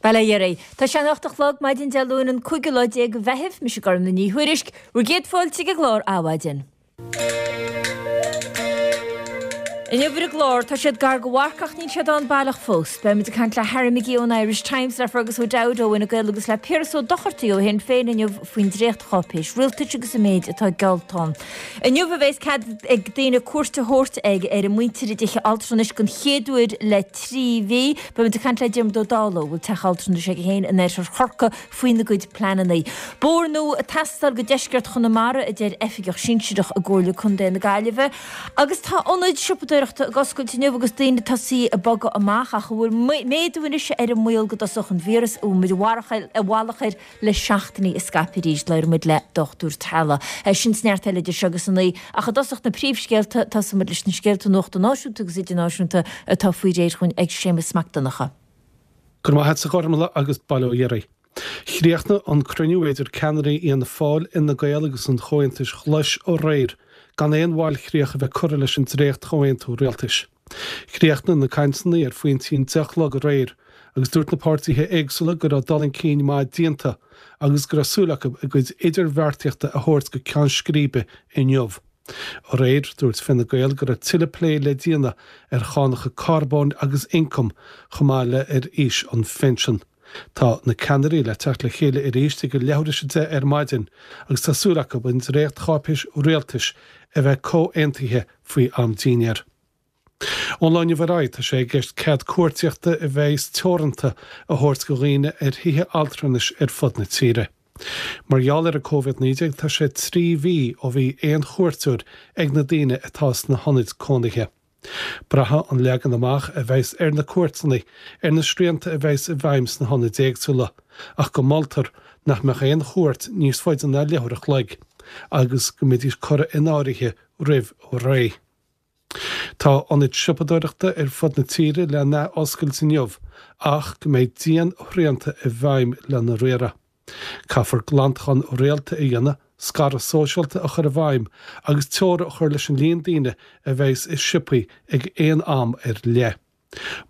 Bail ó Dhia oraibh. Tá sé an 8 a chlog, maidin Dé Luain an cúigiú lá déag de Mheitheamh. Mise Gormlaith Ní Thuairisg, bhur gcéad fáilte ag an gclár Adhmhaidin. Inniu ar an gclár, tá siad gar do mharc ach níl siad ann baileach fós. Beimid ag caint le Harry McGee ón Irish Times, le Fergus O'Dowd ó Fhine Gael agus le Piaras Ó Dochartaigh ó Shinn Féin inniu faoin dréachtcháipéis rialtais agus an méid atá geallta ann. Inniu a bheas cead ag daoine cuairt a thabhairt ag ar a muintir i dtithe altranais den chéad uair le 3 mhí. Beimid ag caint le Diarmuid Ó Dálaigh, a bhfuil teach altranais aige féin in oirthear Chorcaí, faoina gcuid pleananna. Bóthar nua ag teastáil go deisceart Chonamara, a deir oifigeach sinsearach i gComhairle Contae na Gaillimhe. Agus tá ionaid siopadóireachta ag oscailt inniu agus daoine ag tosaí ag bogadh amach ach an bhfuil méadú anois ar an mbaol go dtosódh an víreas a bhfuil muid i bhfalach air le seachtainí ag scaipeadh arís? Labhróidh muid le Dochtúir Teaghlaigh. Sin is neart eile idir seo agus a naoi. Ach i dtosach na príomhscéalta, tosóidh muid leis na scéalta nuachta náisiúnta agus idirnáisiúnta atá faoi réir chugainn ag Séamus Mac Donncha. Go raibh maith agat a Ghormlaith agus bail ó Dhia oraibh. Chríochnaigh an cruinniú idir ceannairí Fhianna Fáil, Fhine Gael agus an Chomhaontais Ghlais aréir gan aon bhailchríoch a bheith curtha leis an dréacht-chomhaontú rialtais. Chríochnaigh na cainteanna ar phointí an 10 a chlog aréir agus dúirt na páirtithe éagsúla go raibh dul chun cinn maith déanta agus go raibh súil acu a gcuid idirbheartaíochta a thabhairt go ceann scríbe inniu. Aréir, dúirt Fine Gael go raibh tuilleadh plé le déanamh ar chánacha carbóin agus ioncaim, chomh maith le ar aois an phinsin. Tá na ceannairí le teacht le chéile arís ag a leathuair théis a deich ar maidin agus tá súil acu an dréacht-cháipéis rialtais a bheith comhaontaithe faoi am dinnéir. Ón lá inniu ar aghaidh, tá sé i gceist cead cuartaíochta a bheas teoranta a thabhairt go dhaoine ar thithe altranais ar fud na tíre. Mar gheall ar an Covid-19 tá sé 3 mhí ó bhí aon chuairteoir ag na daoine atá sna hionaid cónaithe. Braithfidh an leagan amach a bheas ar na cuairteanna ar na srianta a bheas i bhfeidhm sna hionaid éagsúla, ach go moltar nach mbeadh aon chuairt níos faide ná leathuair a chloig agus go mbeidís curtha in áirithe roimh ré. Tá ionaid siopadóireachta ar fud na tíre le n-ath-oscailt inniu ach go mbeidh dian-shrianta i bhfeidhm lena riaradh. Caithfear glantachán rialta a dhéanamh, scaradh sóisialta a chur i bhfeidhm agus teora a chur leis an líon daoine a bheas i siopaí ag aon am ar leith.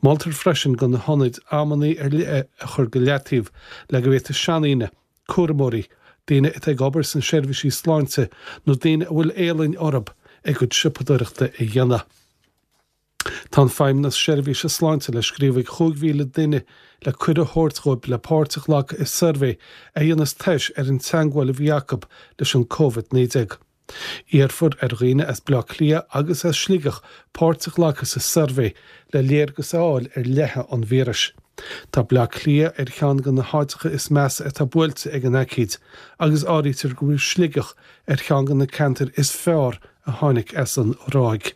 Moltar freisin go na hionaid amannaí ar leith a chur go leataobh le go bhféadfaidh seandaoine, cúramóirí, daoine atá ag obair sna seirbhísí sláinte nó daoine a bhfuil éalainn orthu a gcuid siopadóireachta a dhéanamh. Tá an Feidhmeannas Seirbhíse Sláinte le scríobh ag 5,000 duine le cuireadh a thabhairt dhóibh le páirt a ghlacadh i suirbhé a dhéanfas tomhas ar an teangmháil a bhí acu leis an Covid-19. Iarrfar ar dhaoine as Baile Átha Cliath agus as Sligeach páirt a ghlacadh sa suirbhé le léargas a fháil ar leitheadh an víris. Tá Baile Átha Cliath ar cheann de na háiteacha is measa atá buailte ag an aicíd agus áirítear go bhfuil Sligeach ar cheann de na ceantair is fearr a tháinig as an ráig.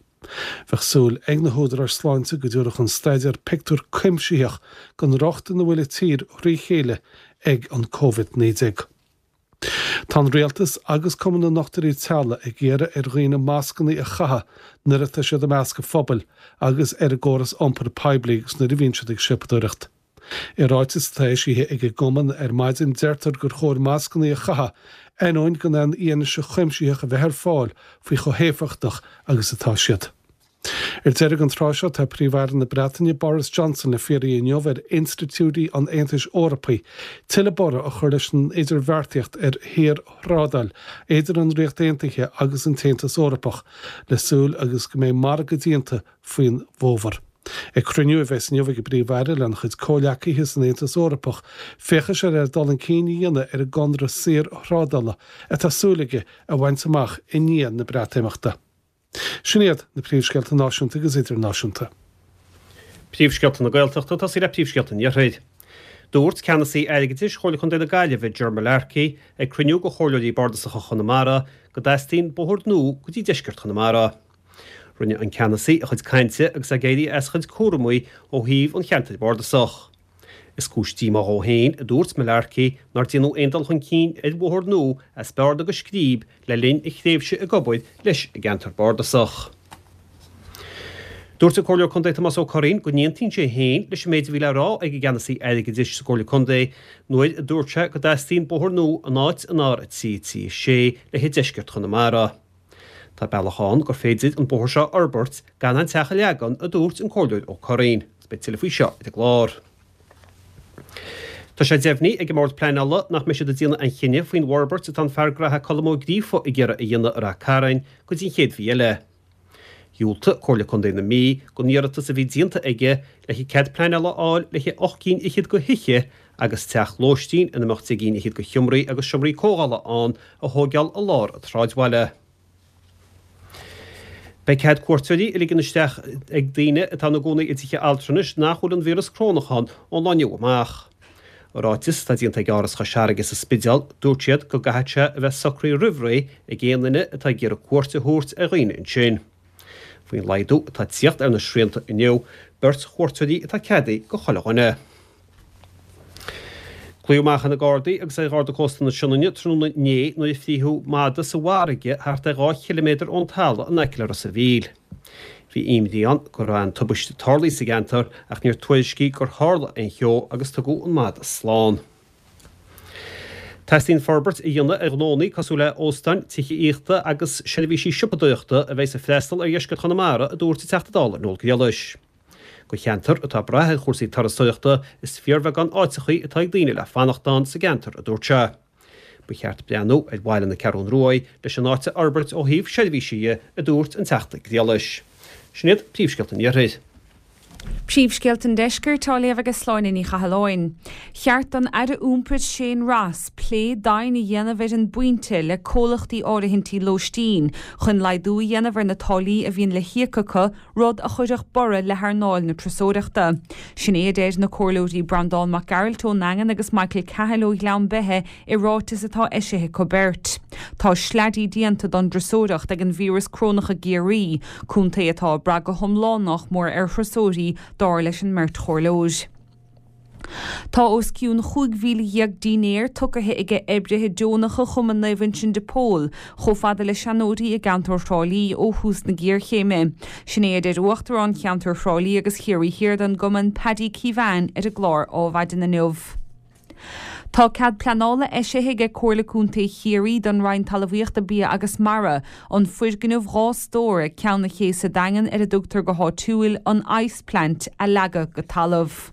Bheadh súil ag na húdaráis sláinte go dtabharfadh an staidéar pictiúr cuimsitheach den riocht ina bhfuil an tír thrí chéile ag an Covid-19. Tá an Rialtas agus Cumann na nDochtúirí Teaghlaigh ag iarraidh ar dhaoine mascanna a chaitheamh nuair atá siad i measc an phobail agus ar an gcóras iompair poiblí agus nuair a bhíonn siad ag siopadóireacht. I ráiteas atá eisithe ag an gcumann ar maidin deirtear gur chóir mascanna a chaitheamh ainneoin gan aon fhianaise chuimsitheach a bheith ar fáil faoi chomh héifeachtach agus atá siad. Ar deireadh an tráth seo, tá Príomh-Aire na Breataine Boris Johnson le fiarraí inniu ar institiúidí an Aontais Eorpaigh tuilleadh borradh a chur leis an idirbheartaíocht ar shaorthrádáil idir an Ríocht Aontaithe agus an tAontas Eorpach le súil agus go mbeidh margadh déanta faoin bhfómhar. Ag cruinniú a bheas inniu ag an bPríomh-Aire lena chuid comhghleacaithe san Aontas Eorpach, féachfaidh sé le dul chun cinn a dhéanamh ar an gconradh saorthrádála atá súil aige a bhaint amach i ndiaidh na Breatimeachta. Sin iad na príomhscéalta náisiúnta agus idirnáisiúnta. Príomhscéalta na Gaeltachta, tosaí le príomhscéalta an Iarthair. Dúirt Ceannasaí Airgeadais Chomhairle Contae na Gaillimhe, Ger Mullarkey, ag cruinniú de Chomhairleoirí Bardasacha Chonamara go dteastaíonn bóthar nua go dtí deisceart Chonamara. Rinne an Ceannasaí a chuid cainte agus é ag éirí as a chuid cúramaí ó thaobh an cheantair bhardasach. Is cúis díomá dhó féin, a dúirt Mullarkey, nár déanadh aon dul chun cinn ar bhóthar nua as Bearna go Scríb le linn a thréimhse ag obair leis an gceantar bardasach. Dúirt an Comhairleoir Contae Tomás Ó Curraoin go n-aontaíonn sé féin leis an méid a bhí le rá ag an gCeannasaí Airgeadais sa gComhairle Contae nuair a dúirt sé go dteastaíonn bóthar nua in áit an R3 3 6 le haghaidh deisceart Chonamara. Tá bealach ann gur féidir an bóthar seo a fhorbairt gan an teach a leagan, a dúirt an Comhairleoir Ó Curraoin. Beidh tuilleadh faoi seo ar an gclár. Tá sé deimhnithe ag an mBord Pleanála nach mbeidh siad ag déanamh aon chinneadh faoin bhforbairt atá an fear graithe Colm Ó Gríofa ag iarraidh a dhéanamh i Rath Cairn go dtí an chéad mhí eile. Dhiúltaigh Comhairle Contae na Mí don iarratas a bhí déanta aige le haghaidh cead pleanála a fháil le haghaidh 8 gcinn fhichead de thithe agus teach lóistín ina mbeadh 10 gcinn fhichead de sheomraí agus seomraí comhdhála ann a thóigeáil i lár an tsráidbhaile. Beidh cead cuairteoirí a ligean isteach ag daoine atá ina gcónaí i dtithe altranais nach bhfuil an víreas corónach ann ón lá inniu amach. I ráiteas atá déanta ag Áras Chois Fharraige sa Spidéal, dúirt siad go gcaithfidh sé a bheith socraithe roimh ré ag aon duine atá ag iarraidh cuairt a thabhairt ar dhaoine ansin. Faoin laghdú atá ag tíocht ar na srianta inniu, beirt chuairteoirí atá ceadaithe do chuile dhuine. Glaodh amach ar na Gardaí agus ar Gharda Cósta na Sionainne tráthnóna inné nuair a frítheadh madadh sa bhfarraige thart ar 2 chiliméadar ón talamh in aice le Ros a' Mhíl. Bhí imní ann go raibh aon tubaiste tarlaithe sa gceantar ach níor tuairiscíodh gur tharla aon cheo agus tugadh an madadh slán. Teastaíonn forbairt a dhéanamh ar ghnónnaí cosúil le óstáin, tithe aíochta agus seirbhísí siopadóireachta a bheidh ag freastal ar dheisceart Chonamara, a dúirt an Teachta Dála Noel Grealish. Do cheantar atá ag brath ar chúrsaí turasóireachta, is fíorbheagán áiteachaí atá ag daoine le fanacht ann sa gceantar, a dúirt sé. Ba cheart breathnú ar bhaile na Ceathrún Ruaidh leis an áit a fhorbairt ó thaobh seirbhísí dhe, a dúirt an Teachta Grealish. Sin iad príomhscéalta an Iarthair. Príomhscéalta an Deiscirt á léamh ag Sláine Ní Chathalláin. Cheart don Aire Iompair Shane Ross plé domhain a dhéanamh ar an bpointe le comhlachtaí áirithintí lóistín chun laghdú a dhéanamh ar na táillí a bhíonn le híoc acu rud a chuirfeadh borradh le hearnáil na turasóireachta. Sin é a deir na Comhairleoirí Breandán Mac Gearailt ón nDaingean agus Michael Cahill ó Ghleann Beithe i ráiteas atá eisithe acu beirt. Tá sleaidí déanta don dturasóireacht ag an víreas corónach i gCiarraí, contae atá ag brath go hiomlán nách mór ar thurasóirí, dar leis an mbeirt chomhairleoir. Tá os cionn 15,000 dinnéar tugtha aige oibrithe deonacha Chumann Naomh Uinseann de Pól chomh fada le seanóirí i gceantar Thrá Lí ó thús na géarchéime. Sin é a deir Uachtarán Cheantar Thrá Lí agus Chiarraí Thiar den gcumann, Paddy Keevan ar an gclár Ádhmhaidin inniu. Tá cead pleanála eisithe aige Comhairle Contae Chiarraí don Roinn Talmhaíochta, Bia agus Mara an foirgneamh 2 stór ag Ceann an Ché sa Daingean ar a dtugtar go háitiúil an Ice Plant a leagadh go talamh.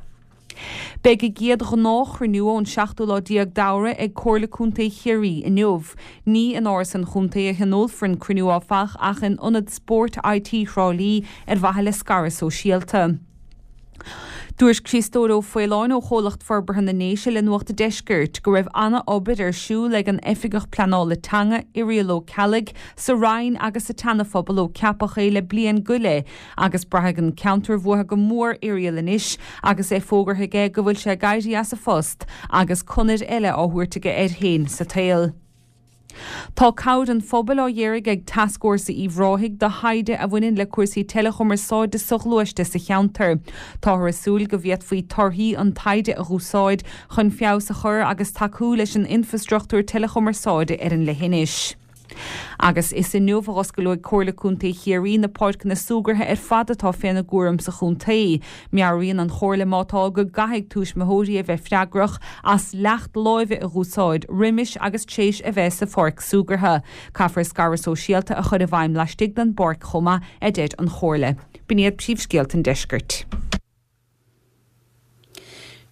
Beidh a gcéad ghnáthchruinniú ón seachtú lá déag d'Fheabhra ag Comhairle Contae Chiarraí inniu. Ní in Áras an Chontae a thionólfar an cruinniú áfach ach in Ionad Spóirt IT Thrá Lí ar mhaithe le scaradh sóisialta. Dúirt Criostóir Ó Faoláin ó Chomhlacht Forbartha na nDéise le Nuacht an Deiscirt go raibh ana-obair ar siúl ag an Oifigeach Pleanála Teanga, Irial Ó Ceallaigh, sa Rinn agus sa tSeana-Phobal ó ceapadh é le bliain go leith agus braithfidh an ceantar uathu go mór Irial anois agus é fógartha aige go bhfuil sé ag éirí as a phost agus conair eile á thabhairt aige air féin sa tsaol. Tá cabhair an phobail á iarraidh ag Tascfhórsa Uíbh Ráthaigh do thaighde a bhaineann le cúrsaí teileachumarsáide soghluaiste sa cheantar. Táthar ag súil go bhféadfaí torthaí an taighde a dh'úsáid chun feabhas a chur agus tacú leis an infreastruchtúr teileachumarsáide ar an leithinis. Agus is inniu a dh'oscaileoidh Comhairle Contae Chiarraí na páirceanna súgartha ar fad atá féna gcúram sa chontae. Meabhraíonn an Chomhairle má tá go gcaithfidh tuismitheoirí a bheith freagrach as leacht láimhe a dh'úsáid roimis agus tréis a bheith sa pháirc súgartha. Caithfear scaradh sóisialta a chur i bhfeidhm laistigh den bpáirc chomh maith, a deir an Chomhairle. B'in iad príomhscéalta an deiscirt.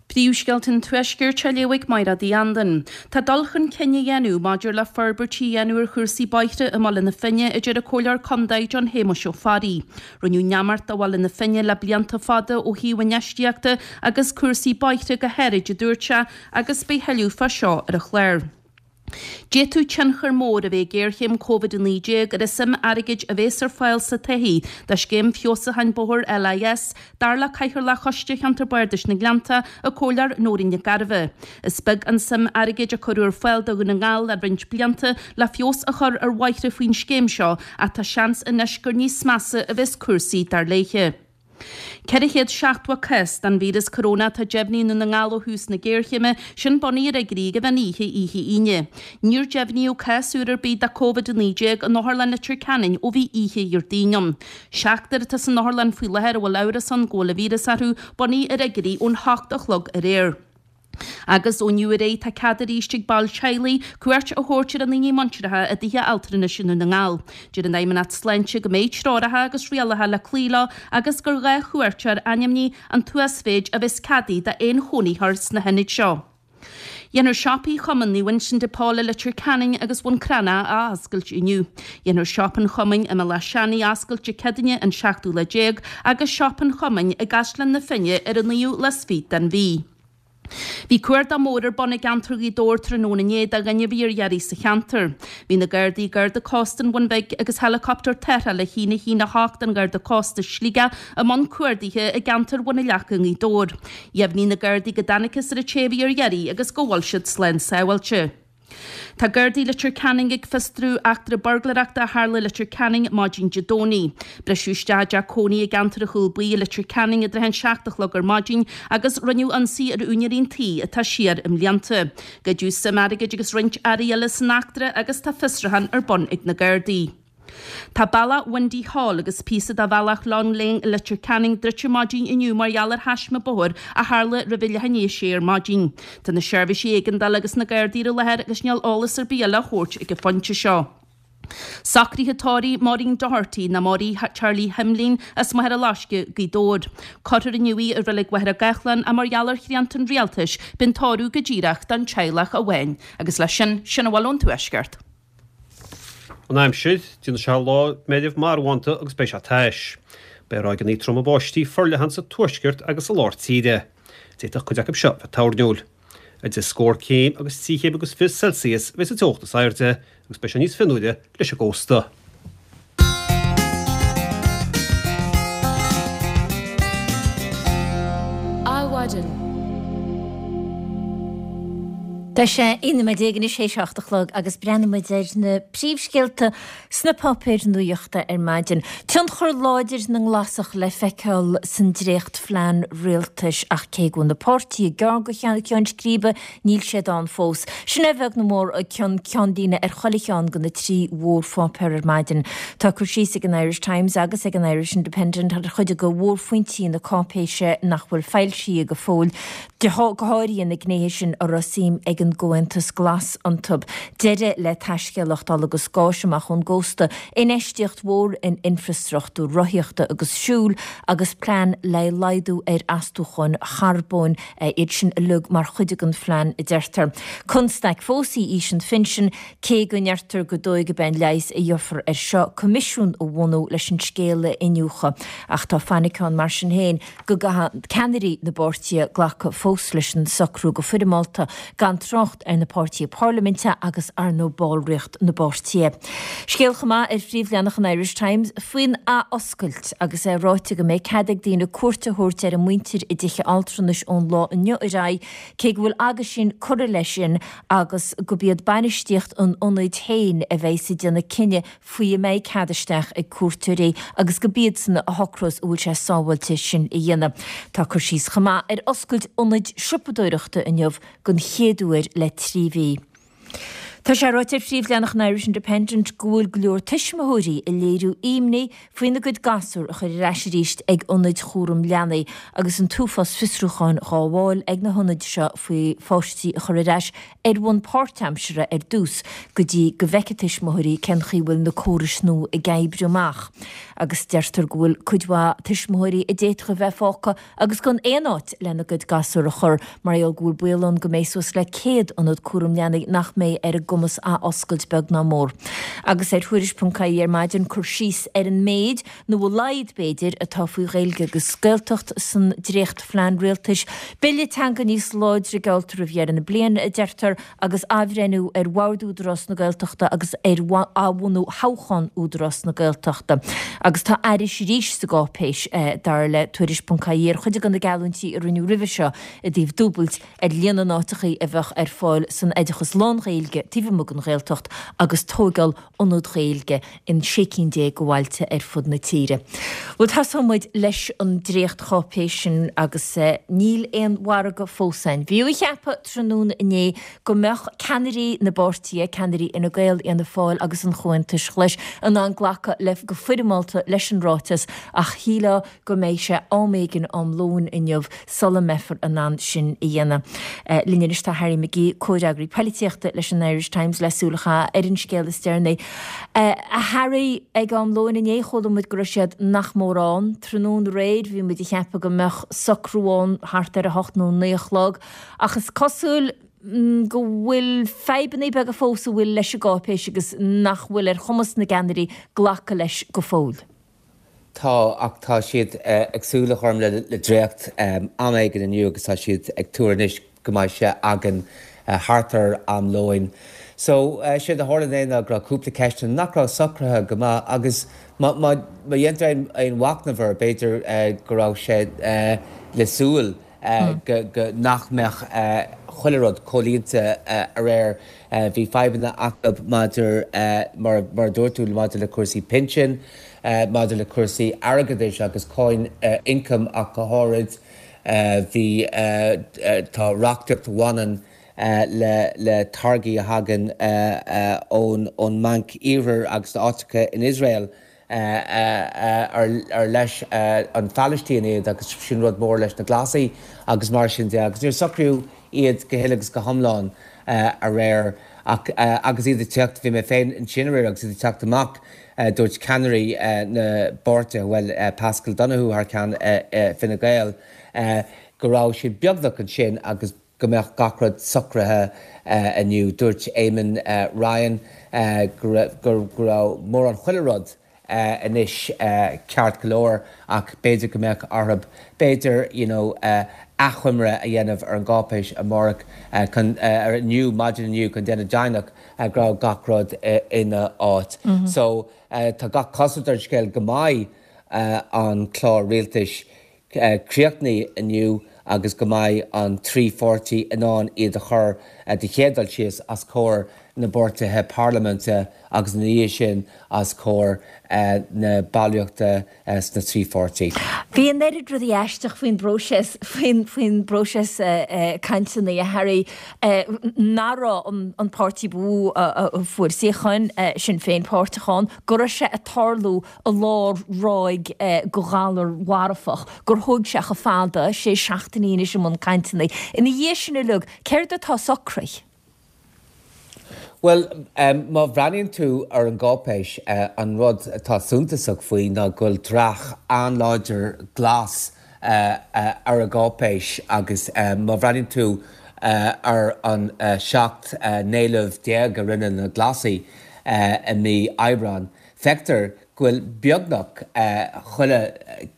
Príomhscéalta an Tuaiscirt á léamh ag Mairéad Uí Andain. Tá dul chun cinn á dhéanamh maidir le forbairtí a dhéanamh ar chúrsaí bóithre i mBaile na Finne, a deir an Comhairleoir Contae John Shéamuis Ó Fearraigh. Rinneadh neamart de Bhaile na Finne le blianta fada ó thaobh infheistíochta agus cúrsaí bóithre go háirid, a dúirt sé, agus beidh thuilleadh fá seo ar an chlár. D'fhéadfadh tionchar mór a bheith ag géarchéim Covid-19 ar an suim airgid a bhéas ar fáil sa todhchaí do Scéim Feabhsúcháin Bóthair LIS, dar le Cathaoirleach Choiste Cheantar Bardais na nGleannta, an Comhairleoir Nóirín Nic Gairbheith. Is beag an suim airgid a cuireadh ar fáil do Dhún na nGall le roinnt blianta le feabhas a chur ar bhóithre faoin scéim seo ach tá seans anois gur níos measa a bheas cúrsaí, dar léithe. 470 cás den víreas corónach atá deimhnithe i nDún na nGall ó thús na géarchéime, sin bunaithe ar fhigiúirí ag meán oíche oíche Aoine. Níor deimhníodh cás úr ar bith de Covid-19 in Otharlann Leitir Ceanainn ó bhí oíche Dhéardaoin ann. Seachtar atá san otharlann faoi láthair a bhfuil amhras ann go bhfuil an víreas orthu, bunaithe ar fhigiúirí ón hocht a chlog aréir. Agus ó inniu ar aghaidh tá cead arís ag baill teaghlaigh cuairt a thabhairt ar a ndaoine muinteartha i dtithe altranais i nDún na nGall. Deir an Fheidhmeannacht Sláinte go mbeidh treoracha agus rialacha le cloí leo agus gur 2 chuairteoir ainmnithe an t-uasmhéid a bheas ceadaithe d'aon chónaitheoir sna hionaid seo. Déanfar siopaí Chumann Naomh Uinseann de Pól i Leitir Ceanainn agus Bhun Cranncha a athoscailt inniu. Déanfar siopa an chumainn i mBealach Seanaidh a oscailt Dé Céadaoine an seachtú lá déag agus siopa an chumainn i gCaisleán na Finne ar an naoú lá is fiche den mhí. Bhí cuardach mór ar bun i gceantar Ghaoth Dobhair tráthnóna inné do dhuine a bhí ar iarraidh sa cheantar. Bhí na Gardaí, Garda Cósta an Bhun Bhig agus heileacoptar tarrthála 1 1 8 an Gharda Cósta Sligeach i mbun cuardaithe i gceantar Bhun an Leaca i nGaoth Dobhair. Dheimhnigh na Gardaí go dtángthas ar an té a bhí ar iarraidh agus go bhfuil siad slán sábháilte. Tá Gardaí Leitir Ceanainn ag fiosrú eachtra buirgléireachta a tharla i Leitir Ceanainn maidin Dé Domhnaigh. Briseadh isteach i dteach cónaí i gceantar an Chúil Buí i Leitir Ceanainn i dtrátha an 7 a chlog ar maidin agus rinneadh ionsaí ar úinéirí an tí atá siar i mblianta. Goideadh suim airgid agus roinnt earraí eile san eachtra agus tá fiosrúchán ar bun ag na Gardaí. Tá bealach Windy Hall agus píosa de bhealach Long Lane i Leitir Ceanainn druidte maidin inniu mar gheall ar thaisme bóthair a tharla roimh a leath i ndiaidh a sé ar maidin. Tá na seirbhísí éigeandála agus na Gardaí ar an láthair agus níl eolas ar bith eile á thabhairt ag an phointe seo. Socruithe tórraimh Maureen Doherty nó Maureen Charlie Himlín as Machaire Loiscthe, Gaoth Dobhair. Cuirfear inniu í i Reilig Mhachaire Gathlán ach mar gheall ar shrianta an Rialtais beidh an tórramh go díreach don teaghlach amháin. Agus leis sin, sin a bhfuil ón Tuaisceart. An aimsir, Déanfaidh sé lá meirbh marbhánta agus beidh sé tais. Beidh ráigeanna troma báistí forleathan sa tuaisceart agus sa lár tíre. D'fhéadfadh cuid acu seo bheith toirniúil. Idir scór céim agus 3 chéim agus 20 Celsius a bheidh sa teocht is airde agus beidh sé níos fionnuaire leis an gcósta. Adhmhaidin. Tá sé 11 nóiméad anois théis a 8 a chlog agus breathnaíonn muid ar na príomhscéalta sna páipéir nuachta ar maidin. Tionchar láidir na nGlasach le feiceáil san dréachtphlean rialtais ach cé go bhfuil na páirtithe gearr go ceann scríbe níl siad ann fós. Sin é a bheag nó mór ceann ceannlíne ar chuile cheann de na trí mhórpháipéar ar maidin. Tá cur síos ag an Irish Times agus ag an Irish Independent ar chuid de mhórphointí na cáipéise nach bhfuil foilsithe go fóill. Go háirithe na gnéithe sin a raibh suim ag an gComhaontas Glas iontu, deireadh le taiscéalaíocht ola agus gáis amach ón gcósta, infheistíocht mhór in infreastruchtúr rothaíochta agus siúil agus plean le laghdú ar astúcháin charbóin, iad sin uilig mar chuid den phlean, a deirtear. Constaic fós í aois an phinsin, cé go ndeirtear gur dóigh gurb é an leigheas a gheofar air seo coimisiún a bhunú leis an scéal a iniúchadh. Ach tá fainic ann mar sin féin go gcaithfidh ceannairí na bpáirtithe glacadh fós leis an socrú go foirmeálta, gan trácht ar na páirtithe parlaiminte agus ar ndóigh ballraíocht na bpáirtithe. Scéal chomh maith ar phríomhleathanach an Irish Times faoin athoscailt agus é ráite go mbeidh cead ag daoine cuairt a thabhairt ar a muintir i dtithe altranais ón lá inniu ar aghaidh, cé go bhfuil aguisín curtha leis sin agus gurb iad bainistíocht an ionaid féin a bheidhs ag déanamh cinneadh faoi an mbeidh cead isteach ag cuairteoirí agus gurb iadsan a shocrós an bhfuil sé sábháilte sin a dhéanamh. Tá cur síos chomh maith ar oscailt ionaid siopadóireachta inniu den chéad uair le 3 mhí. Tá sé ráite ar phríomhleathanach an Irish Independent go bhfuil go leor tuismitheoirí ag léiriú imní faoina gcuid gasúr a chur ar ais arís ag ionaid chúram leanaí agus an t-uafás fiosrúcháin dhá bhfáil ag na hionaid seo faoi pháistí a chur ar ais ar bhonn páirtaimseartha ar dtús go dtí go bhfeicfidh tuismitheoirí cén chaoi a bhfuil na córais nua ag oibriú amach agus deirtear go bhfuil cuid mhaith tuismitheoirí a d'fhéadfadh a bheith fágtha agus gan aon áit lena gcuid gasúr a chur mar gheall go bhfuil baol ann go mbeidh suas le 100 ionad cúram leanaí nach mbeidh ar a gcumas athoscailt beag ná mór. Agus ar Tuairisc.ie ar maidin cur síos ar an méid nó a laghad b'fhéidir, atá faoi Ghaeilge agus Gaeltacht san dréachtphlean rialtais. Bille teanga níos láidre geallta roimh dheireadh na bliana, a deirtear, agus athbhreithniú ar Bhord Údarás na Gaeltachta agus ar athbhunú thoghchán Údarás na Gaeltachta. Agus tá aithris arís sa gcáipéis, dar le Tuairisc.ie, ar chuid de na geallúintí a rinneadh roimhe seo i dtaobh dúbailt ar líon na n-áiteachaí a bheadh ar fáil san oideachas lán-Ghaeilge taobh amuigh den Ghaeltacht agus tóigeáil ionad Gaeilge in 16 cinn de bhailte ar fud na tíre. Bhuel, tosóidh muid leis an dréachtcháipéis sin agus níl aon mhargadh fós ann. Bhí á cheapadh tráthnóna inné go mbeadh ceannairí na bpáirtithe, ceannairí Fhine Gael, Fhianna Fáil agus an Chomhaontais Ghlais, in ann glacadh le go foirmeálta leis an ráiteas ach shílfeá go mbeidh sé am éigin am lóin inniu sula mbeifear in ann sin a dhéanamh. Linn anois tá Harry McGee, comhfhreagraí poilitíochta leis an Irish Times le súil a chaitheamh ar an scéal is deireanaí. A Harry, ag am lóin inné chuala muid go raibh siad nach mór ann. Tráthnóna aréir bhí muid ag ceapadh go mbeadh socrú ann thart ar a hocht nó a naoi a chlog ach is cosúil. go bhfuil fadhbanna beaga fós a bhfuil leis an gcáipéis agus nach bhfuil ar chumas na gceannairí glacadh leis go fóill. Tá, ach tá siad ag súil, a Ghormfhlaith, le dréacht am éigin inniu agus tá siad ag tuar anois go mbeidh sé againn thart ar am lóin. So, séard a tharla inné ná go raibh cúpla ceisteanna nach raibh socraithe go maith agus má dhéantar aon mhachnamh air, b'fhéidir go raibh sé le súil go nach mbeadh chuile rud comhlíonta aréir. Bhí fadhbanna acu maidir, mar a dúirt tú, maidir le cúrsaí pinsin, maidir le cúrsaí airgeadais agus cáin ioncaim ach go háirid. Bhí, tá reachtaíocht a bhaineann le le táirgí a thagann ón ón mBanc Iarthair agus áiteacha in Iosrael ar leis an Phalaistín iad agus sin rud mór leis na Glasaigh agus mar sin de agus níor socraíodh iad go huile agus go hiomlán aréir ach agus iad ag teacht, bhí mé féin ansin aréir agus iad ag teacht amach dúirt ceannairí na bpáirtithe, bhuel Paschal Donohoe thar ceann Fine Gael, go raibh siad beagnach ansin agus go mbeadh gach rud socraithe inniu. Dúirt Eamon Ryan go raibh mórán chuile rud anois ceart go leor ach b'fhéidir go mbeadh orthu b'fhéidir you know achoimre a dhéanamh ar an gcáipéis amárach chun ar inniu maidin inniu chun déanamh deimhneach go raibh gach rud ina áit. So tá gach cosúlacht ar an scéal go mbeidh an clár rialtais críochnaithe inniu agus go mbeidh an trí pháirtí in ann iad a chur de chéad dul síos os comhair na bpáirtithe parlaiminte agus ina dhiaidh sin os comhair na ballraíochta sna trí pháirtí. Bhí an oiread rudaí aisteach faoin bpróiseas, faoin bpróiseas cainteanna, a Harry, nach raibh an páirtí ba mhó a fuair suíocháin, Sinn Féin, páirteach ann, go raibh sé ag tarlú i lár ráig de ghalar mharfach, gur thóg sé chomh fada, sé seachtainí anois i mbun cainteanna. Ina dhiaidh sin uilig, céard atá socraithe? Bhuel, má bhreathnaíonn tú ar an gcáipéis, an rud atá suntasach faoi ná go bhfuil dreach an-láidir glas ar an gcáipéis agus má bhreathnaíonn tú ar an 17 n-éileamh a rinne na Glasaigh i mí Aibreáin, Feictear go bhfuil beagnach chuile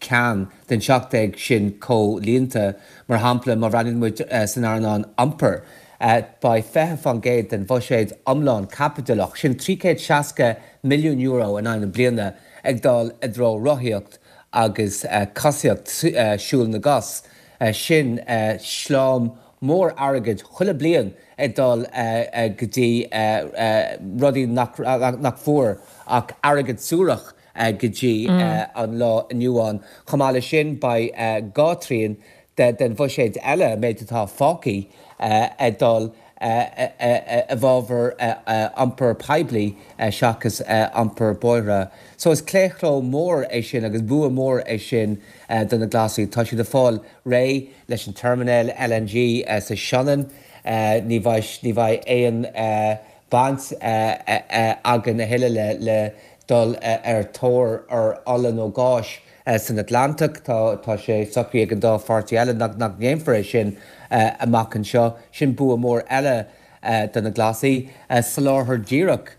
cheann den 17 sin comhlíonta. Mar shampla, má bhreathnaíonn muid san earnáil iompair, beidh 20% den bhuiséad iomlán caipitileach, sin €360 milliún in aghaidh na bliana, ag dul i dtreo rothaíocht agus cosaíocht, siúl na gcos. Sin sleáim mór airgid chuile bliain ag dul go dtí rudaí nach bhfuair ach airgead suarach go dtí an lá inniu ann. Chomh maith leis sin, beidh 2 thrian den bhuiséad eile, an méid atá fágtha, ag dul i bhfabhar iompar poiblí seachas iompar bóithre. So is claochló mór é sin agus bua mór é sin do na Glasaigh. Tá siad ag fáil réidh leis an teirminéal LNG sa Sionainn. Ní bheidh ní bheidh aon baint againn a thuilleadh le dul ar tóir ar ola nó gáis san Atlantach. Tá tá sé socraithe ag an dá pháirtí eile nach nach ndéanfar é sin amach anseo. Sin bua mór eile do na Glasaigh. Soláthar díreach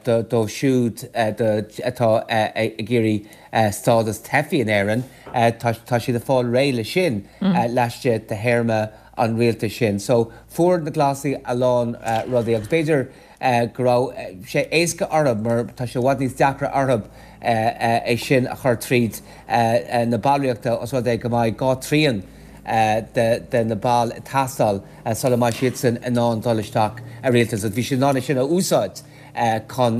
dóibh siúd atá ag iarraidh stádas teifigh in Éirinn, tá siad ag fáil réidh leis sin laistigh de théarma an rialtais sin. So, fuair na Glasaigh a lán rudaí agus b'fhéidir go raibh sé éasca orthu mar tá sé i bhfad níos deacra orthu é sin a chur tríd na ballraíochta os rud é go mbeidh 2 trian de na baill ag teastáil sula mbeidh siadsan in ann dul isteach i rialtas agus bhí siad in ann é sin a úsáid chun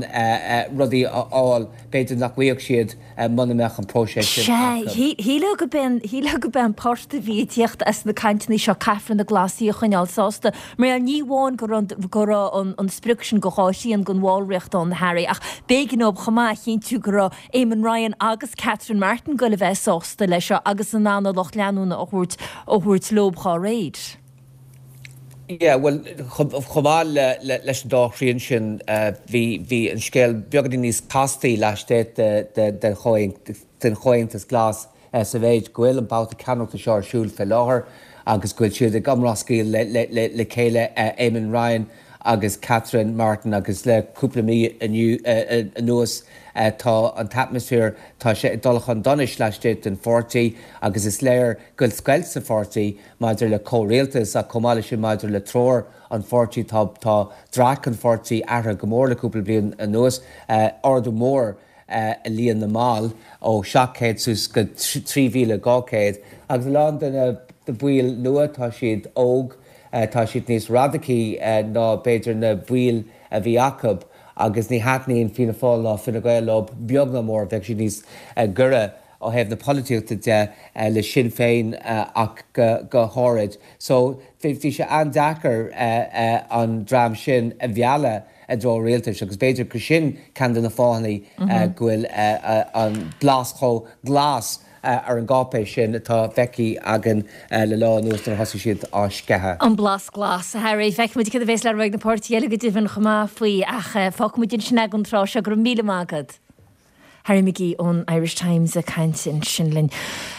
rudaí a fháil b'fhéidir nach bhfaigheadh siad muna mbeadh an próiseas sin Sea, acu. shílfeá go b'é shílfeá go b'é an port a bhí ag tíocht as na cainteanna seo caithfear na Glasaigh a choinneáil sásta. Mar ní amháin go raibh go raibh an an sprioc sin go 2 thrian den bhallraíocht ann, Harry, ach b'éigean dóibh chomh maith a chinntiú go raibh Eamon Ryan agus Catherine Martin goil a bheith sásta leis seo agus in ann a lucht leanúna a thabhairt a thabhairt leob dhá réir. Yeah, bhuel, chomh maith leis an dá thrian sin, bhí bhí an scéal beagáinín níos castaí laistigh den Chomhaontas Glas sa mhéid go bhfuil an babhta ceannaireachta seo ar siúl fé láthair. agus go bhfuil siad ag iomrascáil le chéile, Eamon Ryan agus Catherine Martin agus le cúpla mí anuas tá an t-atmaisféar, tá sé ag dul chun donais laistigh den pháirtí agus is léir go bhfuil scoilt sa pháirtí maidir le comhrialtas ach chomh maith leis sin maidir le treoir an pháirtí. Tá tá dreach an pháirtí athraithe go mór le cúpla bliain anuas, ardú mór i líon na mball ó 700 suas go 3,200 agus a lán de na baill nua tá siad óg, tá siad níos radacaí ná b'fhéidir na baill a bhí acu agus ní thaitníonn Fianna Fáil ná Fine Gael leo beag ná mór, bheadh siad níos gaire ó thaobh na polaitíochta de le Sinn Féin ach go háirid. So bhí sé an-deacair an dream sin a mhealladh i dtreo rialtais agus b'fhéidir gur sin ceann de na fáthanna go bhfuil an blas chomh glas ar an gcáipéis sin atá feicthe againn le lá anuas nuair a thosaigh siad á sceitheadh. An blas glas, a Harry. Feicfimid cad a bhéas le rá ag na páirtithe eile go deimhin chomh maith faoi ach fágfaimid ansin é don tráth seo. Go raibh míle maith agat. Harry McGee ón Irish Times ag caint ansin linn.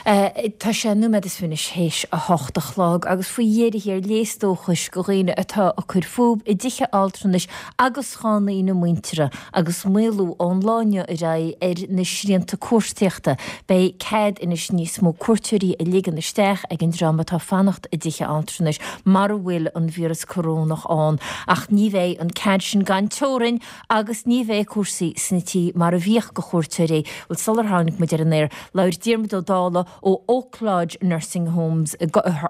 Tá sé nóiméad is fiche anois théis 8 a chlog agus faoi dheireadh thiar léas dóchais do dhaoine atá ag cur fúthu i dtithe altranais agus cónaí na muintire agus maolú ón lá inniu ar aghaidh ar na srianta cuartaíochta. Beidh cead anois níos mó cuairteoirí a ligean isteach ag an dream atá ag fanacht i dtithe altranais mara bhfuil an víreas corónach ann ach ní bheidh an cead sin gan teorainn Agus ní bheidh cúrsaí sna tithe mar a bhíodh do chuairteoirí. Bhuel, sular tháinig muid ar an aer, labhair Diarmuid Ó Dálaigh ó Oak Lodge Nursing Homes,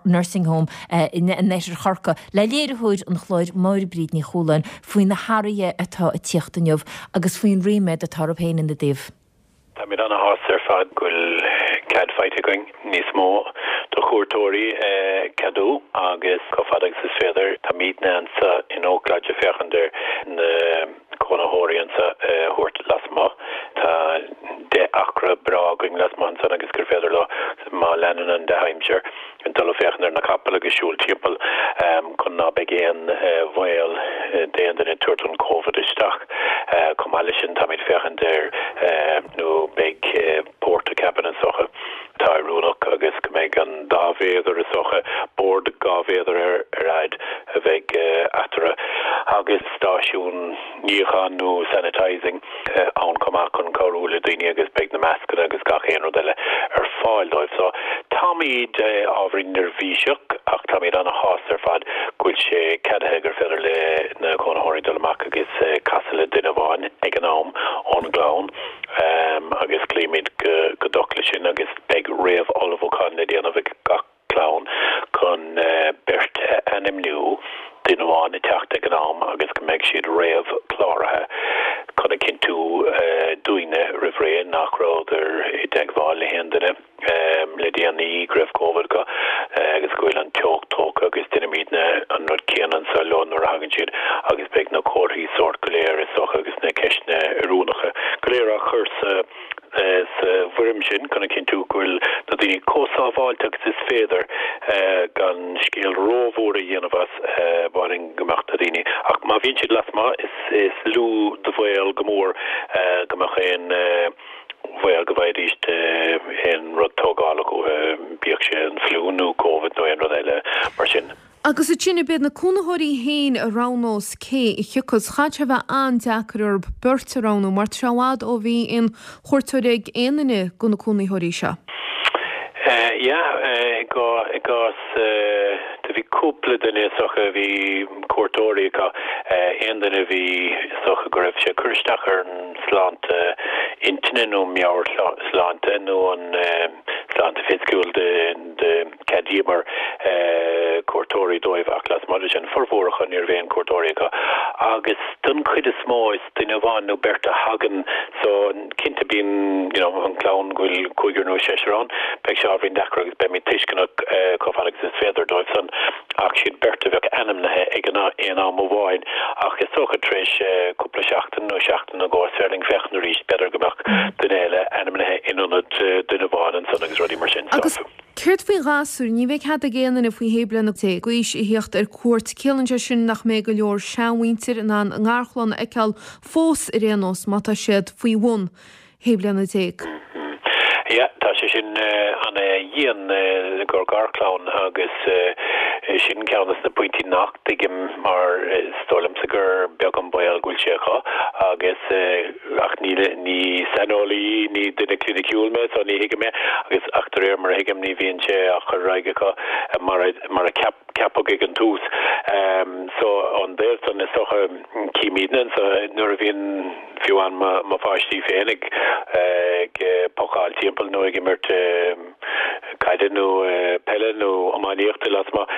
Nursing Home in oirthear Chorcaí, le léiritheoir an chláir Máire Bríd Ní Chualáin faoi na hathruithe atá ag tíocht inniu agus faoin ríméad atá orthu féin ina dtaobh. Táimid ana-shásta ar fad go bhfuil cead faighte againn níos mó do chuairteoirí a cheadú agus chomh fada agus is féidir táimidne anseo in Oak Lodge ag féachaint ar na cónaitheoirí anseo a thabhairt lasmuigh. Tá 10 acra breá againn lasmuigh ansan agus gur féidir leo má leanann an dea-aimsir dul ag féachaint ar na capaill agus siúl timpeall chun ná beidh aon bhaol d'aon duine tabhairt an Covid isteach. Chomh maith leis sin táimid féachaint ar nó beidh portacabin is dócha atá oiriúnach agus go mbeidh an dá mhéadar is dócha, bord 2 mhéadar ar fhad a bheidh eatarthu agus stáisiún níocháin nó sanitising. ann chomh maith chun cabhrú le daoine agus beidh na mascanna agus gach aon rud eile ar fáil dóibh. So táimid ábhairín neirbhíseach ach táimid ana-shásta ar fad go bhfuil sé ceadaithe gur féidir le na cónaitheoirí dul amach agus casadh le duine amháin ag an am ón gclann agus cloímid go docht leis sin agus beidh réamh-ullmhúchán le déanamh ag gach clann chun beirt a ainmniú, duine amháin ag teacht ag an am agus go mbeidh siad réamhchláraithe chun a chinntiú dúinne roimh ré nach rabhadar i dteagmháil le haon duine le déanaí go raibh Covid acu agus go bhfuil an teocht tógtha agus déanaimidne an rud céanna anseo leo nuair a thagann siad agus beidh na comharthaí sóirt go léir is dócha agus na ceisteanna oiriúnacha go léir á chur sa sa bhfoirm sin chun a chinntiú go bhfuil na daoine chomh sábháilte agus is féidir gan scéal rómhór a dhéanamh as, b'áil go mbeadh na daoine, ach má bhíonn siad lasmuigh is is lú de bhaol go mór go mbeadh aon bhaol go bhfaighidís aon rud tógálach uathu, bíodh sé an fliú nó Covid nó aon rud eile mar sin. Agus ansin ab iad na cónaitheoirí féin a roghnós cé a thiocfas. Chaithfeadh sé a bheith an-deacair orthu beirt a roghnú mar tá sé i bhfad ó bhí aon chuairteoir ag aon duine de na cónaitheoirí seo. Yeah, i gcás do bhí cúpla duine is dócha a bhí cuairteoirí acu, aon duine a bhí is dócha go raibh sé ag cur isteach ar an sláinte intinne nó meabhairshláinte nó an sláinte fisiciúil de Cheadaíomar cuairteoirí dóibh ach lasmuigh de sin, formhór acu ní raibh aon cuairteoirí acu agus don chuid is mó is duine amháin nó beirt a thagann so cinnte bíonn you know an clann go bhfuil cúigear nó seisear ann beidh sé ábhairín deacair agus beimid tuisceanach chomh fada agus is féidir dóibh san ach siad beirt a bheadh ainmnithe ag an aon am amháin ach is dócha tar éis cúpla seachtain nó seachtain nó dhó is féidir linn féachaint arís b'fhéidir go mbeadh duine eile ainmnithe in ionad duine amháin ansan agus rudaí mar sin so. Céard faoi ghasúir? Ní bheidh cead ag aon duine faoi shé bliana déag d'aois a thíocht ar cuairt. Ciallaíonn sé sin nach mbeidh go leor seanmhuintir in ann a ngarchlann a fheiceáil fós ar aon nós má tá siad faoi bhun shé bliana déag. Yeah, tá sé sin ana-dhian i gcomhair garchlann agus sin ceann des na pointí nach dtuigim mar is dóigh liomsa gur beag an baol go bhfuil sé acu agus ach ní ní saineolaí, ní duine cliniciúil mé so ní thuigim é agus ach de réir mar a thuigim ní bhíonn sé á chur ar aghaidh acu mar a mar a ceap ceapadh ag an tús. So ón dtaobh san is dócha címidne anso nuair a bhíonn fiú amháin mo pháistí féin ag ag pocáil timpeall nó ag imirt caide nó peile nó iománaíochta lasmuigh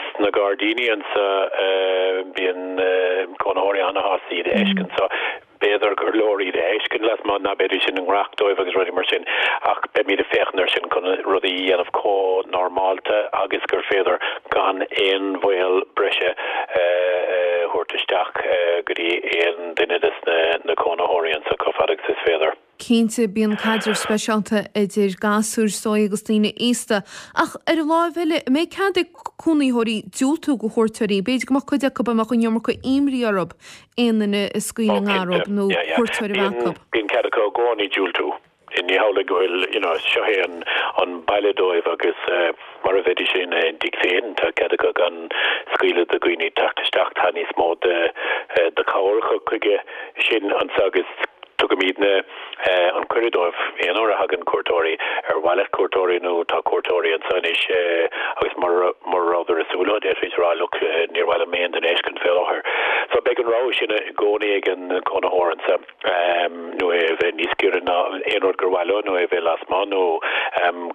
sna gairdíní anso bíonn cónaitheoirí ana-shásta iad a fheiscint. So B'fhéidir gur leor iad a fheiscint lasmuigh, ná beidís ina ngnaitheach dóibh agus rudaí mar sin, ach beimid ag féachaint air sin chun rudaí a dhéanamh chomh normálta agus gur féidir gan aon bhaol breise a thabhairt isteach go dtí aon duine des na cónaitheoirí anso chomh fada agus is féidir. Cinnte, bíonn caidreamh speisialta idir gasúir, is dóigh, agus daoine aosta. Ach ar an láimh eile, an mbeidh cead ag cónaitheoirí diúltú do chuairteoirí? B'fhéidir go mbeadh cuid acu a mbeadh an iomarca imní orthu aon duine a scaoileadh i ngar dóibh nó cuairteoir a bheith acu. Bíonn cead acu i gcónaí diúltú. Ní hamhlaidh go bhfuil, you know, seo é an baile dóibh agus mar a bheidís ina dtigh féin, tá cead acu gan scaoileadh do dhaoine teacht isteach. Tá níos mó de de chabhair acu chuige sin anso agus Tugaimidne an cuireadh dóibh aon uair a thagann cuairteoirí, ar mhaith leat cuairteoirí nó tá cuairteoirí anseo anois agus mura rabhadar ag súil leo, d'fhéadfaí a rá look, níor mhaith liom aon duine a fheiscint fé láthair. So beidh an rogha sin i gcónaí ag an gcónaitheoir anseo, nó é a bheith níos giorra ná aon rud gur mhaith leo nó é a bheith lasmuigh nó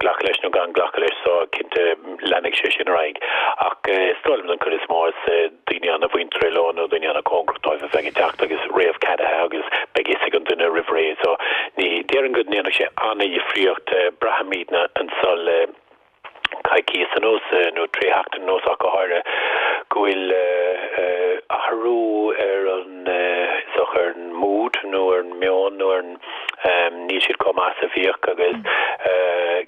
glacadh leis nó gan glacadh leis so cinnte leanfaidh sé sin ar aghaidh. Ach is dóigh liom don chuid is mó is daoine ana-mhuinteartha leo nó daoine ana-chóngarach dóibh a bheidh ag teacht agus réamhcheadaithe agus beidh fhios ag an duine roimh ré so ní déarfainn go ndéanfadh sé ana-dhifríocht. Braithimidne anso le coicíos anuas nó 3 sheachtain anuas ach go háirithe go bhfuil athrú ar an is dócha ar an mood nó ar an meon nó ar an níl siad chomh maith is a bhíodh agus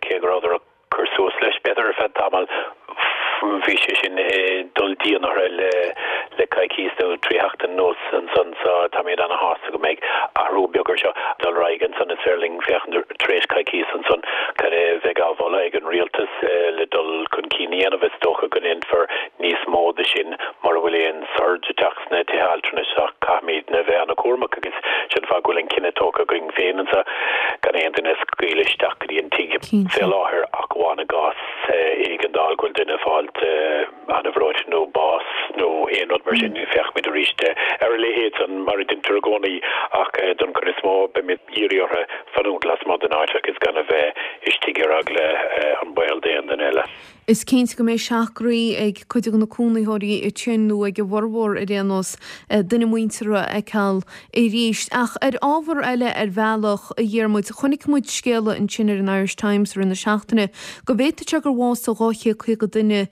cé go rabhadar cur suas leis, b'fhéidir, ar feadh tamaill. Bhí sé sin ag dul dian orthu le coicíos nó 3 sheachtain anuas ansan so táimid ana-shásta go mbeidh athrú beag air seo. Dul ar aghaidh ansan is féidir linn féachaint tar éis coicíos ansan cad é a bheidh á mholadh ag an rialtas le dul chun cinn a dhéanamh. Is dócha go ndéanfar níos mó de sin mura bhfuil aon surge ag teacht sna tithe altranais ach caithfimidne a bheith ana-chúramach agus sin an fáth go bhfuil an cinneadh tógtha againn féin anso gan aon duine a scaoileadh isteach go dtí an tigh fé láthair ach amháin i gcás éigeandáil go bhfuil duine ag fáilt ana-bhreoite nó bás nó aon rud mar sin. Féachfaimid arís ar a leithéid san mar a deintear i gcónaí ach don chuid is mó beimid ag iarraidh orthu fanúint lasmuigh den áit agus gan a bheith istigh ar eagla an baol d'aon duine eile. Is cinnte go mbeidh seacht gcroí ag cuid de na cónaitheoirí ansin, nó ag a bhformhór ar aon nós, duine muinteartha a fheiceáil arís. Ach ar ábhar eile ar bhealach, a Dhiarmuid, chonaic muid scéala ansin ar an Irish Times i rith na seachtaine go bhféadfadh sé gur bhásaigh 250 duine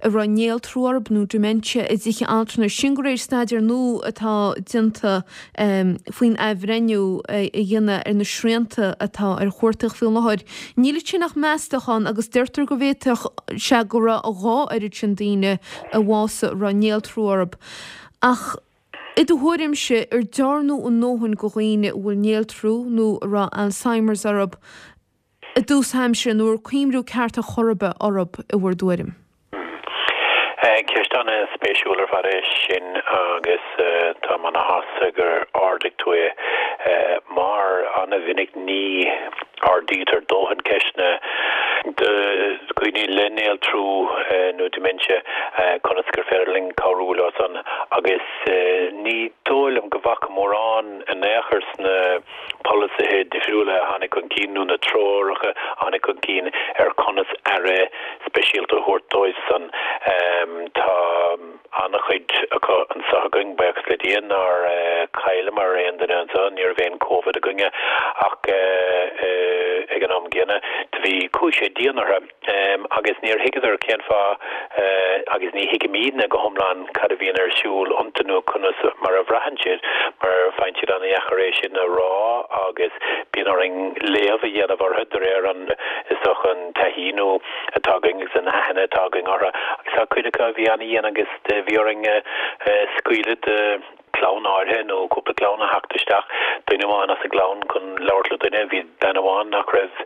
a raibh néaltrú orthu nó dementia i dtithe altranais. Sin de réir staidéar nua atá déanta. faoin athbhreithniú a dhéanamh ar na srianta atá ar chuartaíocht faoi láthair. Níl ansin ach meastachán agus deirtear go bhféadfadh sé go raibh a dhá oiread sin daoine a bhásaigh a raibh néaltrú orthu. Ach i do thuairimse, ar dearnadh a ndóthain do dhaoine a bhfuil néaltrú nó a raibh Alzheimer's orthu i dtús aimsire nó ar cuimriú ceart ar chor ar bith orthu i bhur dtuairim? Ceist an-spéisiúil ar fad é sin agus táim ana-shásta gur ardaigh tú é mar ana-mhinic ní ardaítear dóthain ceisteanna do dhaoine le néaltrú nó dementia conas gur féidir linn cabhrú leo san agus ní dóigh liom go bhfaca mórán in aon chor sna polasaithe difriúla a tháinig chun cinn nó na treoracha a tháinig chun cinn ar conas aire speisialta a thabhairt dóibh san. Tá an-chuid acu anseo againn, buíochas le Dia nár chailleamar aon duine anseo, ní raibh aon Covid againne ach ag an am gcéanna do bhí, chuaigh sé dian orthu. Agus níor thuigeadar cén fáth, agus ní thuigimidne go hiomlán cad a bhíonn ar siúl iontu nó conas mar a bhraitheann siad, mar faigheann siad an-dheacair é sin a rá agus bíonn orainn léamh a dhéanamh orthu de réir an, is dócha, an taithí nó atá againn agus an aithne atá againn orthu. Agus tá cuid acu a bhí an-dhian agus bhí orainn scaoileadh de. clann áirithe nó cúpla clann a theacht isteach, duine amháin as an gclann chun labhairt le duine. Bhí bean amháin nach raibh,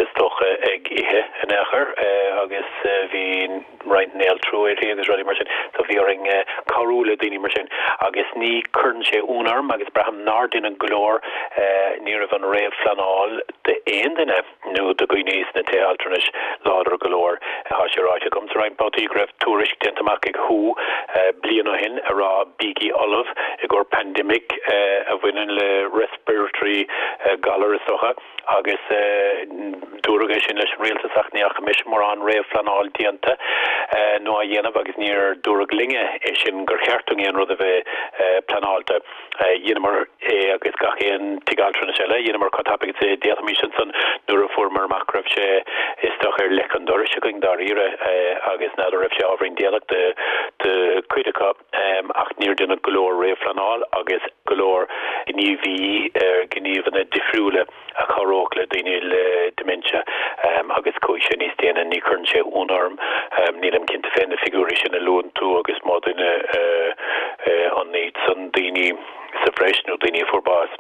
is dócha, ag ithe in aon chor agus bhí roinnt néaltrú uirthi agus rudaí mar sin. So bhí orainn cabhrú le daoine mar sin agus ní cuireann sé ionadh orm agus braithim nár deineadh go leor, ní raibh an réamhphleanáil d'aon duine. nó do dhaoine sna tithe altranais láidir go leor. Tá sé ráite agamsa roinnt babhtaí go raibh tuairisc déanta amach ag who bliain ó shin a rá bígí ullamh i gcomhair pandemic a bhaineann le respiratory galar is dócha agus dúradh é sin leis an rialtas ach ní fhaca mise mórán réamhphleanáil déanta nó á dhéanamh agus níor dúradh linne é sin gur cheart dúinn aon rud a bheith pleanáilte. Dheineamar é agus gach aon tigh altranais eile. Dheineamar chomh tapaidh is a d'fhéadfaimis ansan nuair a fuaireamar amach go raibh sé is dócha ar leic an dorais againn dáiríre agus n'fheadar raibh sé ábhairín déanach do chuid acu ach níor deineadh go leor réamhphleanáil agus go leor gníomhaí gníomhanna difriúla. a chabhródh le daoine le dementia agus chuaigh sé níos déine. Ní chuireann sé ionadh orm. Nílim cinnte fé na figiúirí sin a luann tú agus má duine an iad san daoine sa bhreis nó daoine a fuair bás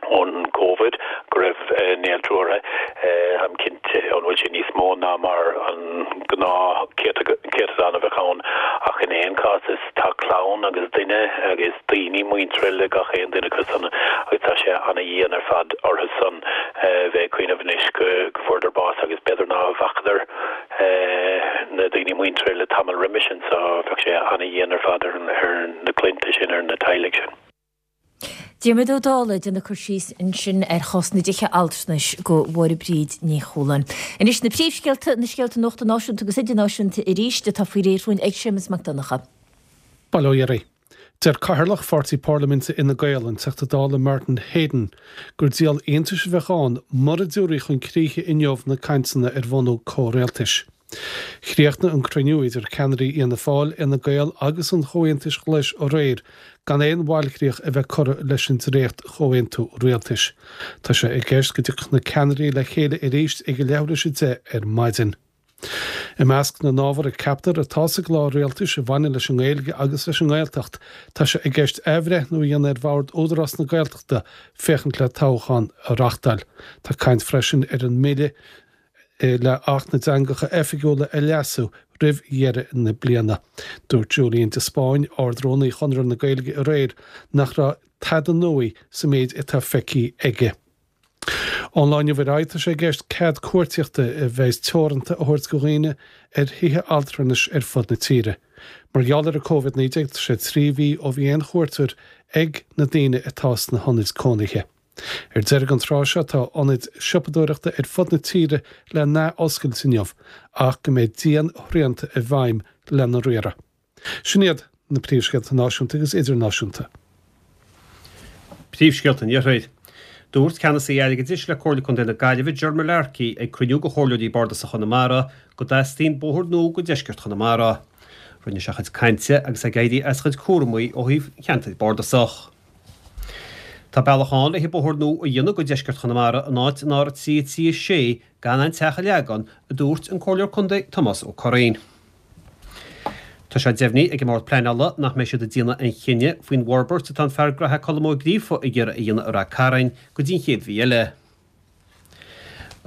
ón Covid go raibh néaltrú orthu. Táim cinnte an bhfuil sé níos mó ná mar an gnáth céatadán a bheadh ann ach in aon chás is tá clann agus duine agus daoine muinteartha le gach aon duine acu san agus tá sé ana-dhian ar fad orthu san bheith ag cuimhneamh anois go bhfuaireadar bás agus b'fhéidir ná bhfacadar na daoine muinteartha le tamall roimis sin so bheadh sé ana-dhian ar fad ar na clainnte sin, ar na teaghlaigh sin. Diarmuid Ó Dálaigh ag déanamh cur síos ansin ar chás na dtithe altranais do Mháire Bríd Ní Chualáin. Anois na príomhscéalta, na scéalta nuachta náisiúnta agus idirnáisiúnta arís atá faoi réir dhúinn ag Séamus Mac Donncha. Bail ó Dhia oraibh. Deir Cathaoirleach Pháirtí Parlaiminte Fhine Gael, an Teachta Dála Martin Heydon, gur díol iontais a bheadh ann mura dtabharfaí chun críche inniu na cainteanna ar bhunú comhrialtais. Chríochnaigh an cruinniú idir ceannairí Fhianna Fáil, Fhine Gael agus an Chomhaontais Ghlais aréir gan aon bhailchríoch a bheith curtha leis an dréacht-chomhaontú rialtais. Tá sé i gceist go dtiocfadh na ceannairí le chéile arís ag a leathuair tar éis 10 ar maidin. I measc na n-ábhar a ceaptar atá sa gclár rialtais a bhaineann leis an nGaeilge agus leis an nGaeltacht, tá sé i gceist athbhreithniú a dhéanamh ar Bhord Údarás na Gaeltachta féachaint le toghchán a reachtáil. Tá caint freisin ar an mbille le Acht na dTeangacha Oifigiúla a leasú roimh dheireadh na bliana. Dúirt Julian de Spáinn, Ard-Rúnaí Chonradh na Gaeilge aréir nach raibh tada nua sa méid atá feicthe aige. Ón lá inniu ar aghaidh tá sé i gceist cead cuartaíochta a bheas teoranta a thabhairt do dhaoine ar thithe altranais ar fud na tíre. Mar gheall ar an Covid-19 tá sé 3 mhí ó bhí aon chuairteoir ag na daoine atá sna hionaid cónaithe. Ar deireadh an tráth seo tá ionaid siopadóireachta ar fud na tíre le n-ath-oscailt inniu ach go mbeidh dian-shrianta i bhfeidhm lena riaradh. Sin iad na príomhscéalta náisiúnta agus idirnáisiúnta. Príomhscéalta an Iarthair. Dúirt Ceannasaí Airgeadais le Comhairle Contae na Gaillimhe, Ger Mullarkey, ag cruinniú de Chomhairleoirí Bardasacha Chonamara go dteastaíonn bóthar nua go deisceart Chonamara. Rinne sé a chuid cainte agus é ag éirí as a chuid cúramaí ó thaobh an cheantair bardasach. Tá bealach ann le haghaidh bóthar nua a dhéanamh go deisceart Chonamara in áit an R3 3 6 gan aon teach a leagan, a dúirt an Comhairleoir Contae Tomás Ó Curraoin. Tá sé deimhnithe ag an mBord Pleanála nach mbeidh siad ag déanamh aon chinneadh faoin bhforbairt atá an fear graithe Colm Ó Gríofa ag iarraidh a dhéanamh i Rath Cairn go dtí an chéad mhí eile.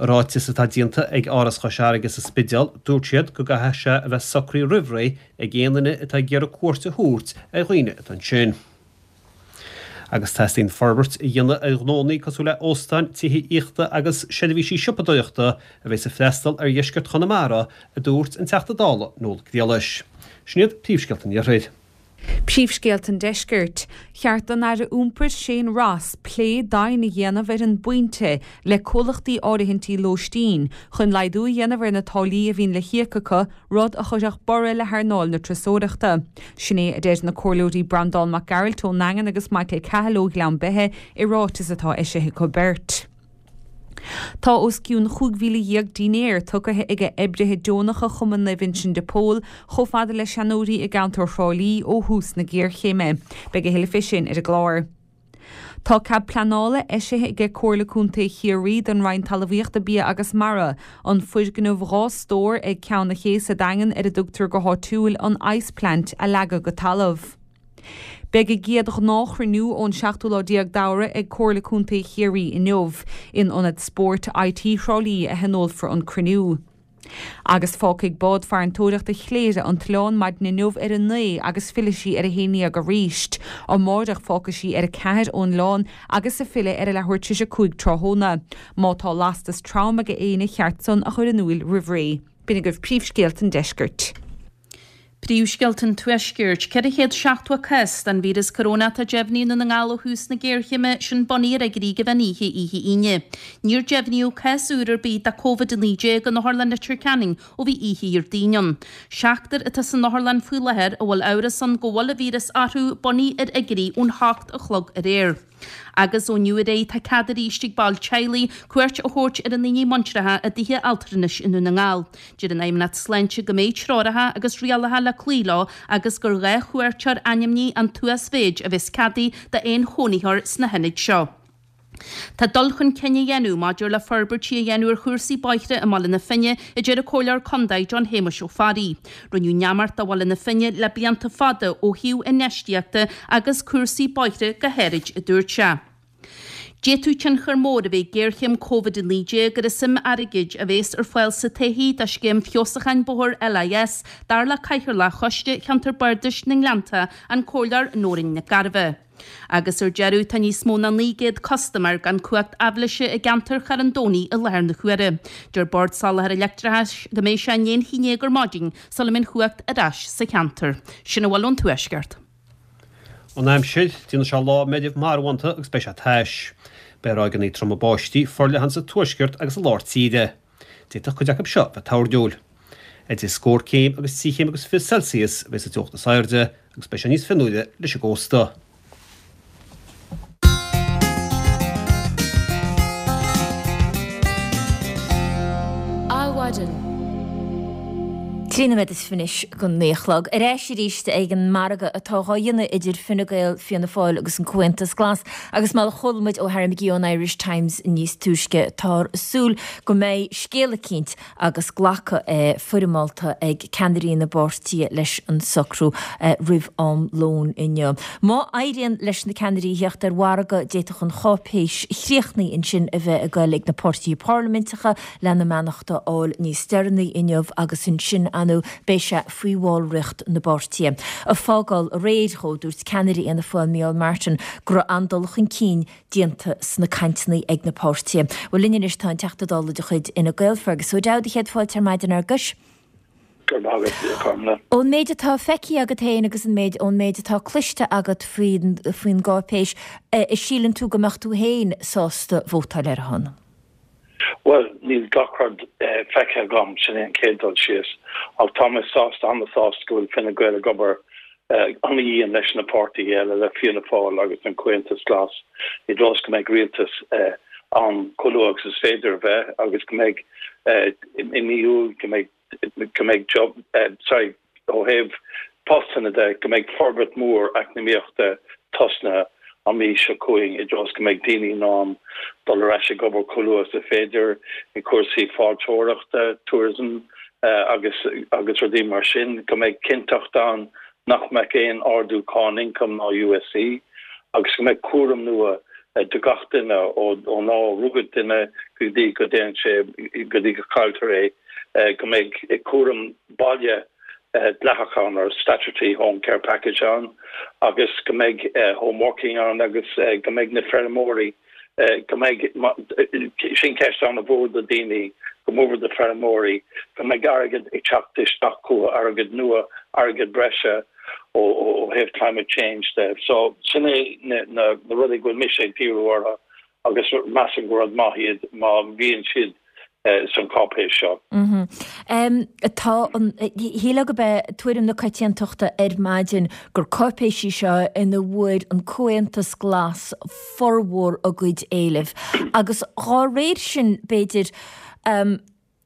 I ráiteas atá déanta ag Áras Chois Fharraige sa Spidéal, dúirt siad go gcaithfidh sé a bheith socraithe roimh ré ag aon duine atá ag iarraidh cuairt a thabhairt ar dhaoine atá ansin. Agus teastaíonn forbairt a dhéanamh ar ghnónnaí cosúil le óstáin, tithe aíochta agus seirbhísí siopadóireachta a bheas ag freastal ar dheisceart Chonamara, a dúirt an Teachta Dála Noel Griallais. Sin iad príomhscéalta an Iarthair. Príomhscéalta an Deiscirt. Cheart don Aire Iompair Shane Ross plé domhain a dhéanamh ar an bpointe le comhlachtaí áirithintí lóistín chun laghdú a dhéanamh ar na táillí a bhíonn le híoc acu rud a chuirfeadh borradh le hearnáil na turasóireachta. Sin é a deir na Comhairleoirí Breandán Mac Gearailt ón nDaingean agus Michael Cahill ó Ghleann Beithe i ráiteas atá eisithe acu beirt. Tá os cionn 15,000 dinnéar tugtha ag oibrithe deonacha Chumann Naomh Uinseann de Pól chomh fada le seanóirí i gceantar Thrá Lí ó thús na géarchéime. Beidh a thuilleadh fé sin ar an gclár. Tá cead pleanála eisithe aige Comhairle Contae Chiarraí don Roinn Talmhaíochta, Bia agus Mara an foirgneamh 2 stór ag Ceann an Ché sa Daingean ar a dtugtar go háitiúil an Ice Plant a leagadh go talamh. Beidh a gcéad ghnáthchruinniú ón seachtú lá déag d'Fheabhra ag Comhairle Contae Chiarraí inniu. In Ionad Spóirt IT Thrá Lí a thionólfar an cruinniú. Agus fágfaidh bád farantóireachta Chléire an t-oileán maidin inniu ar a 9 agus fillfidh sí ar a haon dhéag arís. Amáireach fágfaidh sí ar a 4 ón oileán agus ag filleadh ar a leathuair tar éis a 5 tráthnóna. Má tá lastas trom ag éinne cheart san a chur in úil roimh ré. B'in agaibh príomhscéalta an deiscirt. Príomhscéalta an Tuaiscirt, 470 cás den víreas corónach atá deimhnithe i nDún na nGall ó thús na géarchéime, sin bunaithe ar fhigiúirí ag an mheán oíche oíche Aoine. Níor deimhníodh cás úr ar bith de Covid-19 in Otharlann Leitir Ceanainn ó bhí oíche Dhéardaoin ann. Seachtar atá san otharlann faoi láthair a bhfuil amhras ann go bhfuil an víreas orthu, bunaithe ar fhigiúirí ón hocht a chlog aréir. Agus ó inniu ar aghaidh tá cead arís ag baill teaghlaigh cuairt a thabhairt ar a ndaoine muinteartha i dtithe altranais i nDún na nGall. Deir an Fheidhmeannacht Sláinte go mbeidh treoracha agus rialacha le cloí leo agus gur 2 chuairteoir ainmnithe an t-uasmhéid a bheas ceadaithe d'aon chónaitheoir sna hionaid seo. Tá dul chun cinn á dhéanamh maidir le forbairtí a dhéanamh ar chúrsaí bóithre i mBaile na Finne, a deir an Comhairleoir Condae John Shéamuis Ó Fearraigh. Rinneadh neamart de Bhaile na Finne le blianta fada ó thaobh infheistíochta agus cúrsaí bóithre go háirid, a dúirt sé. D'fhéadfadh tionchar mór a bheith ag géarchéim Covid-19 ar an suim airgid a bhéas ar fáil sa todhchaí do scéim feabhsúcháin bóthair LIS, dar le Cathaoirleach Choiste Cheantar Bardais na nGleannta, an Comhairleoir Nóirín Nic Gairbheith. Agus ar deireadh, tá níos mó ná 900 custaiméir gan cumhacht aibhléise i gceantar Charn Domhnaigh i láthair na huaire. Deir Bord Soláthair Leictreachais go mbeidh sé i ndiaidh an haon dhéag ar maidin sula mbeidh an chumhacht ar ais sa cheantar. Sin a bhfuil ón Tuaisceart. An aimsir, Déanfaidh sé lá meirbh marbhánta agus beidh sé tais. Beidh ráigeanna troma báistí forleathan sa tuaisceart agus i lár tíre. D'fhéadfadh cuid acu seo bheith toirniúil. Idir scór céim agus 3 chéim agus 20 Celsius a bheidh sa teocht is airde agus beidh sé níos fionnuaire leis an gcósta. Adhmhaidin. 13 nóiméad anois go 9 a chlog. Ar ais arís ag an margadh atá dhá dhéanamh idir Fine Gael, Fianna Fáil agus an Comhaontas Glas agus mar a chuala muid ó Harry McGee ón Irish Times níos túisce táthar ag súil go mbeidh scéal eicínt agus glacadh foirmeálta ag ceannairí na bpáirtithe leis an socrú roimh am lóin inniu. Má éiríonn leis na ceannairí a theacht ar mhargadh d'fhéadfadh an cháipéis chríochnaithe ansin a bheith ag goil ag na páirtithe parlaiminteacha lena mbeannacht a fháil níos deireanaí inniu agus ansin ar ndóigh beidh sé faoi bhallraíocht na bpáirtithe. Ag fágáil aréir dhó, dúirt ceannaire Fhianna Fáil Micheál Martin go raibh an-dul chun cinn déanta sna cainteanna ag na páirtithe. Bhuel linn anois tá an Teachta Dála de chuid Fhine Gael, Fergus O'Dowd, a chéad fáilte ar maidin a Fherguis. Go raibh maith agat, a Chormlaith. Ón méid atá feicthe agat féin agus an méid ón méid atá cloiste agat faoin faoin gcáipéis, a síleann tú go mbeadh tú féin sásta vótáil ar a shon? Bhuel, níl gach rud feicthe agam, sin é an chéad dul síos, ach tá mé sásta, an-sásta go bhfuil Fine Gael ag obair an-dhian leis na páirtithe eile, le Fianna Fáil agus an Comhaontas Glas, i dtreo is go mbeidh rialtas ann chomh luath agus is féidir a bheith agus go mbeidh i mí Iúil, go mbeidh go mbeidh job, sorry, ó thaobh postanna de, go mbeidh forbairt mhór eacnamaíochta tosnaithe an mhí seo chugainn i dtreo is go mbeidh daoine in ann dul ar ais ag obair chomh luath is is féidir i cúrsaí fáilteoireachta, tourism, agus agus rudaí mar sin, go mbeidh cinnteacht ann nach mbeadh aon ardú cáin ioncaim ná USC agus go mbeidh cúram nua do gach duine ón lá a rugadh duine go dtí go dtéann sé go dtí go cailltear é. go mbeidh cúram baile dleathach ann, or statutory home care package ann, agus go mbeidh home working ann agus go mbeidh na feirmeoirí, go mbeidh, sin ceist an-mhór do daoine, go mórmhór do feirmeoirí, go mbeidh airgead ag teacht isteach chucu, airgead nua, airgead breise ó thaobh climate change de. So sin é na rudaí go bhfuil mise ag díriú orthu agus measaim gur rud maith iad má bhíonn siad san cáipéis seo. Tá an, shílfeá gurb é tuairim na coitiantachta ar maidin gur cáipéis í seo ina bhfuair an Comhaontas Glas formhór a gcuid éileamh agus dhá réir sin b'fhéidir.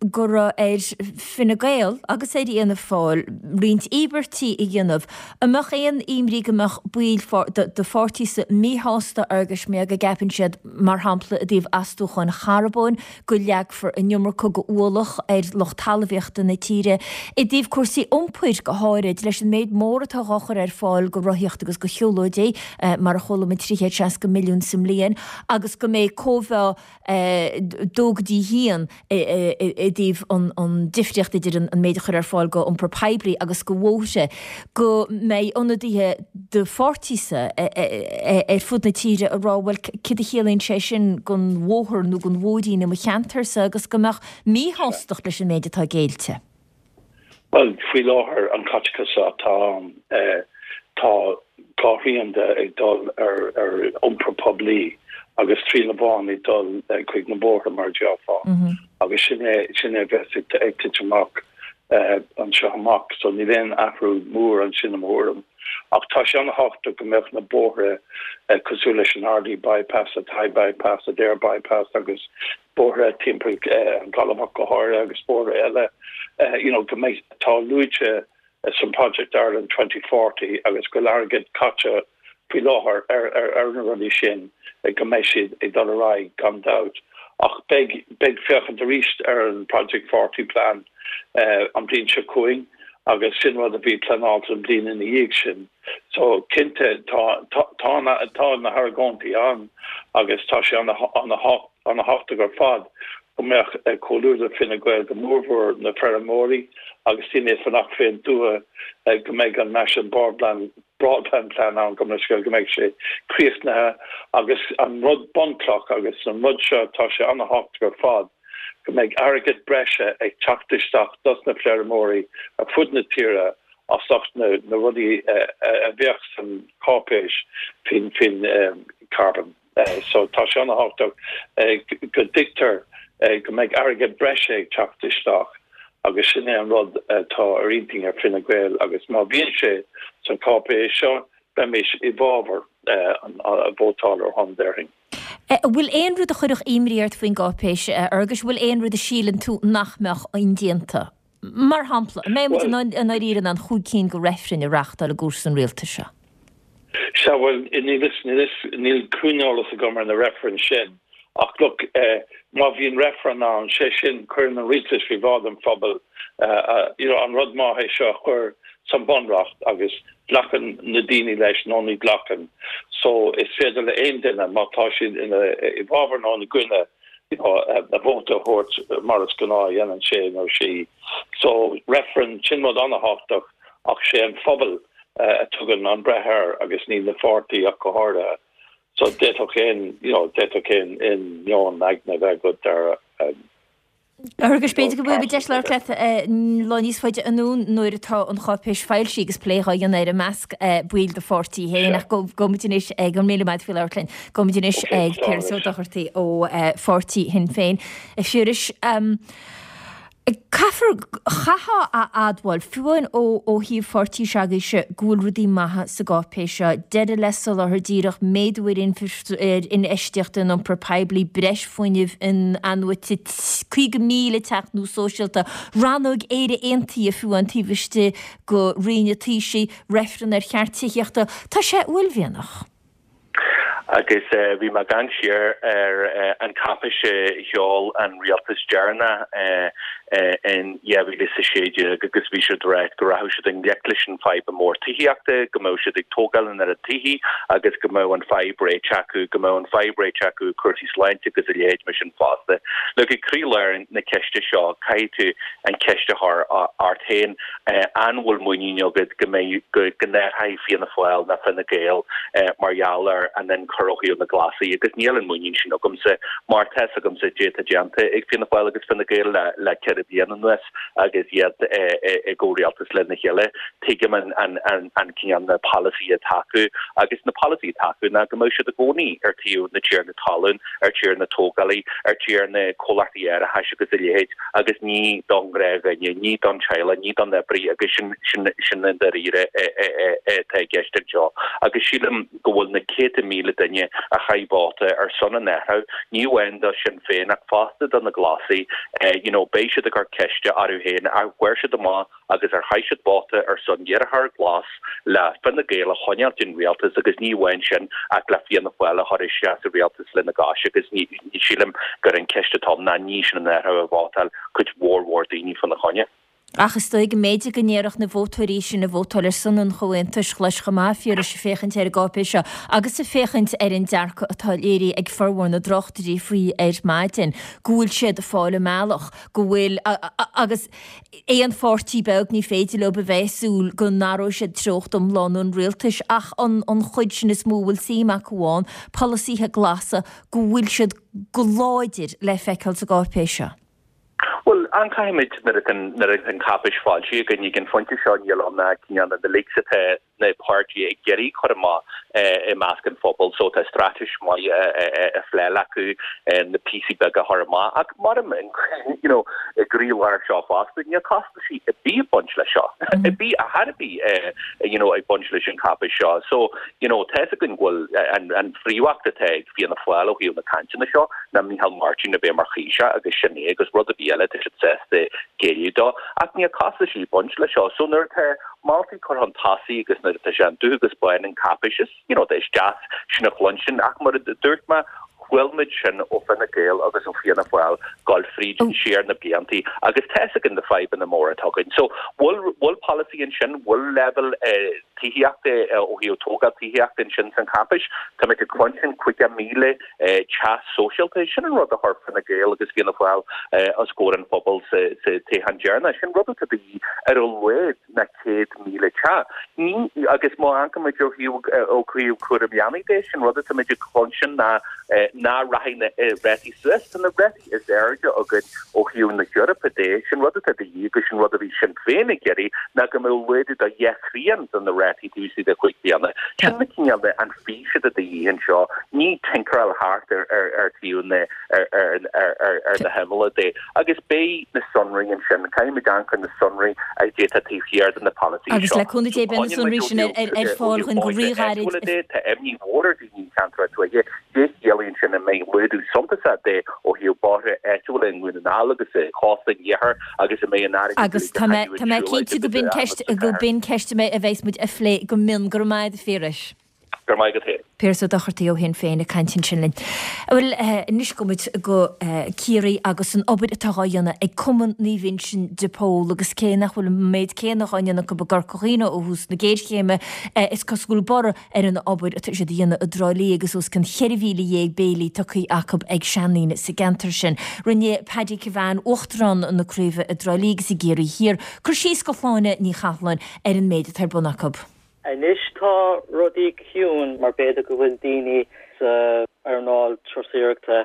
go raibh ar Fine Gael agus ar Fhianna Fáil roinnt íobairtí a dhéanamh. An mbeadh aon imní go mbeadh baill do pháirtíse míshásta Fhearghuis mar go gceapann siad, mar shampla, i dtaobh astúcháin charbóin, go leagfar an iomarca go ualach ar lucht talmhaíochta na tíre, i dtaobh cúrsaí iompair go háirid, leis an méid mór atá dhá chur ar fáil go rothaíocht agus go shiúlóidí, mar a chuala muid, 360 milliún sa mbliain, agus go mbeidh cóimheá 2 go dtí 1 i dtaobh an difríocht idir an méid a chur ar fáil go iompar poiblí agus go bhóithre, go mbeidh ionadaithe do pháirtíse ar fud na tíre ag rá bhuel céard a chiallaíonn sé sin don bhóthar nó don bhóithrín i mo cheantarsa agus go mbeadh míshástacht leis an méid atá géillte. Bhuel, faoi láthair, an caiteachas atá ann, tá dhá thrian de ag dul ar iompar poiblí agus trian amháin ag dul chuig na bóithre, mar a déarfá. Agus sin é, sin é a bheas ag titim amach anseo amach. So níl aon athrú mór ansin i mo thuairim. Ach tá sé an-thábhachtach go mbeadh na bóithre cosúil leis an Ardee Bypass, an Athy Bypass, Adare Bypass agus bóithre timpeall an Ghaillimh ach go háirithe agus bóithre eile you know go mbeidh, atá luaite san Project Ireland 2040 agus go bhfuil airgead caite faoi láthair ar ar na rudaí sin go mbeidh siad ag dul ar aghaidh gan dabht. Ach beidh beidh féachaint arís ar an Project 40 plan an bhliain seo chugainn agus sin rud a bhí pleanáilte an bhliain ina dhiaidh sin. So cinnte tá tá tá na hargóintí ann agus tá sé an-thábhachtach ar fad go mbeadh comhluadar Fine Gael, go mórmhór na feirmeoirí agus daoine ag fanacht fén dtuath go mbeidh an National Broadband Broadband Plan ann, go mbeidh sé críochnaithe agus an rud bunchloch agus an rud seo tá sé an-thábhachtach ar fad go mbeidh airgead breise ag teacht isteach dos na feirmeoirí ar fud na tíre as ucht na rudaí a bheadh san cáipéis faoin faoin carbon. So tá sé an-thábhachtach go dtuigtear go mbeidh airgead breise ag teacht isteach agus sin é an rud atá ar intinn ar Fine Gael agus má bhíonn sé san cáipéis seo beimis i bhfabhar vótáil ar shon, déarfainn. An bhfuil aon rud a chuirfeadh imní ort faoin gcáipéis, a Fhearghuis? An bhfuil aon rud a síleann tú nach mbeadh indéanta? Mar shampla, an mbeidh muid i ndáiríre in ann chúig cinn de reifrinn a reáchtáil i gcúrsa an rialtais seo? Sea, bhuel, níl fhios, níl fhios, níl cruinneolas agam ar na reifrinn sin, ach look, má bhíonn reifreann ann, sé sin, cuireann an rialtas faoi bhráid an phobail, you know, an rud maith é seo a chur san bunreacht agus glacann na daoine leis nó ní ghlacann. So, is féidir le aon duine, má tá siad ina, i bhfabhar nó ina gcoinne, you know, a vóta a thabhairt mar is gnáth a dhéanann sé nó sí. So, reifreann, sin rud an-thábhachtach ach sé an phobal a tugann an breith air agus ní na pháirtí ach go háirithe. So, d'fhéadfadh aon, you know, d'fhéadfadh aon, aon meon aigne a bheith agat ar Agus b'fhéidir go bhfaighidh muid deis labhairt leat lá níos faide anonn nuair atá an cháipéis foilsithe agus plé dhá dhéanamh air i measc baill do pháirtí féin. Ach gabhfaidh muid anois ag, go raibh míle maith agat faoi labhairt linn, gabhfaidh muid anois ag Piaras Ó Dochartaigh ó pháirtí Shinn Féin. A Phiarais, Caithfear, chaithfeá a admháil, fiú amháin ó thaobh pháirtí s'agaibhse, go bhfuil rudaí maithe sa gcáipéis seo, deireadh le soláthar díreach, méadú ar infheistíocht in iompar poiblí, breis fuinnimh in-athnuaite, 50,000 teach nua sóisialta, rannóg Éire Aontaithe fiú amháin taobh istigh de Roinn an Taoisigh, reifreann ar cheart tithíochta. Tá sé uaillmhianach. Agus bhí mé ag amharc siar ar an cháipéis a sheol an rialtas deireanach in 2016 agus bhí siad ag ráit go rachadh siad i ngleic leis an fadhb mór tithíochta, go mbeadh siad ag tógáil an oiread tithí agus go mbeadh an fadhb réitithe acu, go mbeadh an fadhb réitithe acu cúrsaí sláinte agus a leithéid mar sin fosta. Look, ag croílár na ceiste seo, caithfidh tú an cheist a chur ort féin. An bhfuil muinín agat go mbeidh, go n-athróidh Fianna Fáil ná Fine Gael mar gheall ar an ionchur ó thaobh na Glasaí agus níl an muinín sin agamsa mar tá fhios agamsa caidé atá déanta ag Fianna Fáil agus Fine Gael le 4 bliana anuas agus iad i gcomhrialtas lena chéile. Tuigim an cineál na polasaithe atá acu agus na polasaithe atá acu ná go mbeadh siad i gcónaí ar taobh na tiarna talún, ar taobh na tógálaí, ar taobh na comhlachtaí árachais agus a leithéid. agus ní don ghnáthdhuine, ní don teaghlach, ní don oibrí agus sin, sin, sin i ndáiríre atá i gceist anseo. Agus sílim go bhfuil na céadta míle duine a chaith vóta ar son an athraithe, ní amháin do Shinn Féin ach fosta do na Glasaigh, you know, beidh siad ag. ag cur ceiste orthu féin ar fuair siad amach agus ar chaith siad vóta ar son iarrthóir glas le Fine Gael a choinneáilt den rialtas agus ní amháin sin ach le Fianna Fáil a chur isteach sa rialtas lena gcois agus ní sílim gur an ceist atá ann ná ní sin an iarrthóir a vótáil cuid mhór mhór daoine fána choinne. Ach is dóigh go mb'fhéidir go ndéarfadh na vótóirí sin a vótáil ar son an Chomhaontais Ghlais chomh maith, a Phiarais, ag féachaint ar an gcáipéis seo agus ag féachaint ar an dearcadh atá léirithe ag formhór na dtráchtairí faoi ar maidin, go bhfuil siad ag fáil a mbealach, go bhfuil, agus aon pháirtí beag ní féidir leo a bheith ag súil go n-athróidh siad treocht iomlán an rialtais ach an an chuid sin is mó a bhfuil suim acu ann, polasaithe glasa, go bhfuil siad go láidir le feiceáil sa gcáipéis seo. Bhuel, amharcfaimid nuair atá nuair atá an cháipéis foilsithe againn ag an phointe seo níl ann ach cineál na leaks atá na páirtithe ag iarraidh cur amach i measc an phobail so tá straitéis maith á phleáil acu na píosaí beaga a chur amach ach mar you know i gcroílár seo fosta níl costaisí ar bith ag baint leis seo ar bith ar chor ar bith you know ag baint leis an cháipéis seo so You know, tá 'fhios againn go bhfuil an, an phríomhacht atá ag Fianna Fáil ó thaobh na cainteanna seo ná Micheál Martin a bheith mar Thaoiseach agus sin é agus rud ar bith eile tá siad sásta géilleadh dó. Ach níl costaisí ag baint leis seo. So nuair atá moltaí curtha chun tosaigh agus nuair atá sé an dubh agus bán an cáipéis is, you know, is deas sin a chluinstin ach mar a dúirt mé, chuala muid sin ó Fine Gael agus ó Fianna Fáil dul fríd siar na bliantaí agus tá 'fhios againn na fadhbanna móra atá againn. So bhfuil, bhfuil polasaí ansin, bhfuil leibhéal eh, tithíochta ó thaobh tógáil tithíochta ansin san cháipéis. Táimid ag cluinstin 50,000 teach sóisialta. Sin an rud a chuir Fine Gael agus Fianna Fáil os comhair an phobail sa toghchán deireanach. Sin rud atá de dhíth ar a laghad ná 100,000 teach. Ní, agus má amharcaimid ó thaobh ó thaobh cúram leanaí de, sin rud atáimid ag cluinstin ná ná rachaidh na rátaí suas. Tá na rátaí is airde againn ó thaobh na hEorpa de, sin rud atá de dhíth agus sin rud a bhí Sinn Féin ag iarraidh ná go mbeadh laghdú de dheich thrian de na rátaí taobh istigh de chúig bliana. Sin na cineál de an fís atá de dhíth anseo, ní tinkeráil thart ar ar ar taobh na ar ar ar ar ar na himealla de. Agus beidh na sonraí ansin, caithfimid amharc ar na sonraí a d'fhéadfadh taobh thiar de na polasaithe Agus seo. le cúnamh Dé beidh na sonraí sin ar ar fáil dhúinn go ríghairid. Tá imní mhór ar daoine i gceantar tuaithe, dé chiallaíonn sin an mbeidh laghdú suntasach de ó thaobh bóithre áitiúla i nDún na nGall agus i chósta an iarthair agus an mbeidh an airgead Agus tá mé, tá mé cinnte go b'in ceist, go b'in ceist a bheas muid a phlé go mion. Go raibh maith agat a Phiarais. Go raibh maith agat féin. Piaras Ó Dochartaigh ó Shinn Féin ag caint ansin linn. Bhuel, anois gabhfaidh muid go Ciarraí agus an obair atá dhá dhéanamh ag Cumann Naomh Uinseann de Pól agus cé nach bhfuil an méid céanna dhá ndéanamh acu i gCorca Dhuibhne ó thús na géarchéime, is cosúil go bhfuil borradh ar an obair atá siad a dhéanamh i dTrá Lí agus os cionn 14,000 béilí tugtha acu ag seandaoine sa gceantar sin. Rinne Paddy Kevane, Uachtarán na Craoibhe i dTrá Lí agus i gCiarraí Thiar, cur síos do Shláine Ní Chathalláin ar an méid atá ar bun acu. Anois tá rudaí ciúin mar b'fhéidir go bhfuil daoine sa earnáil turasóireachta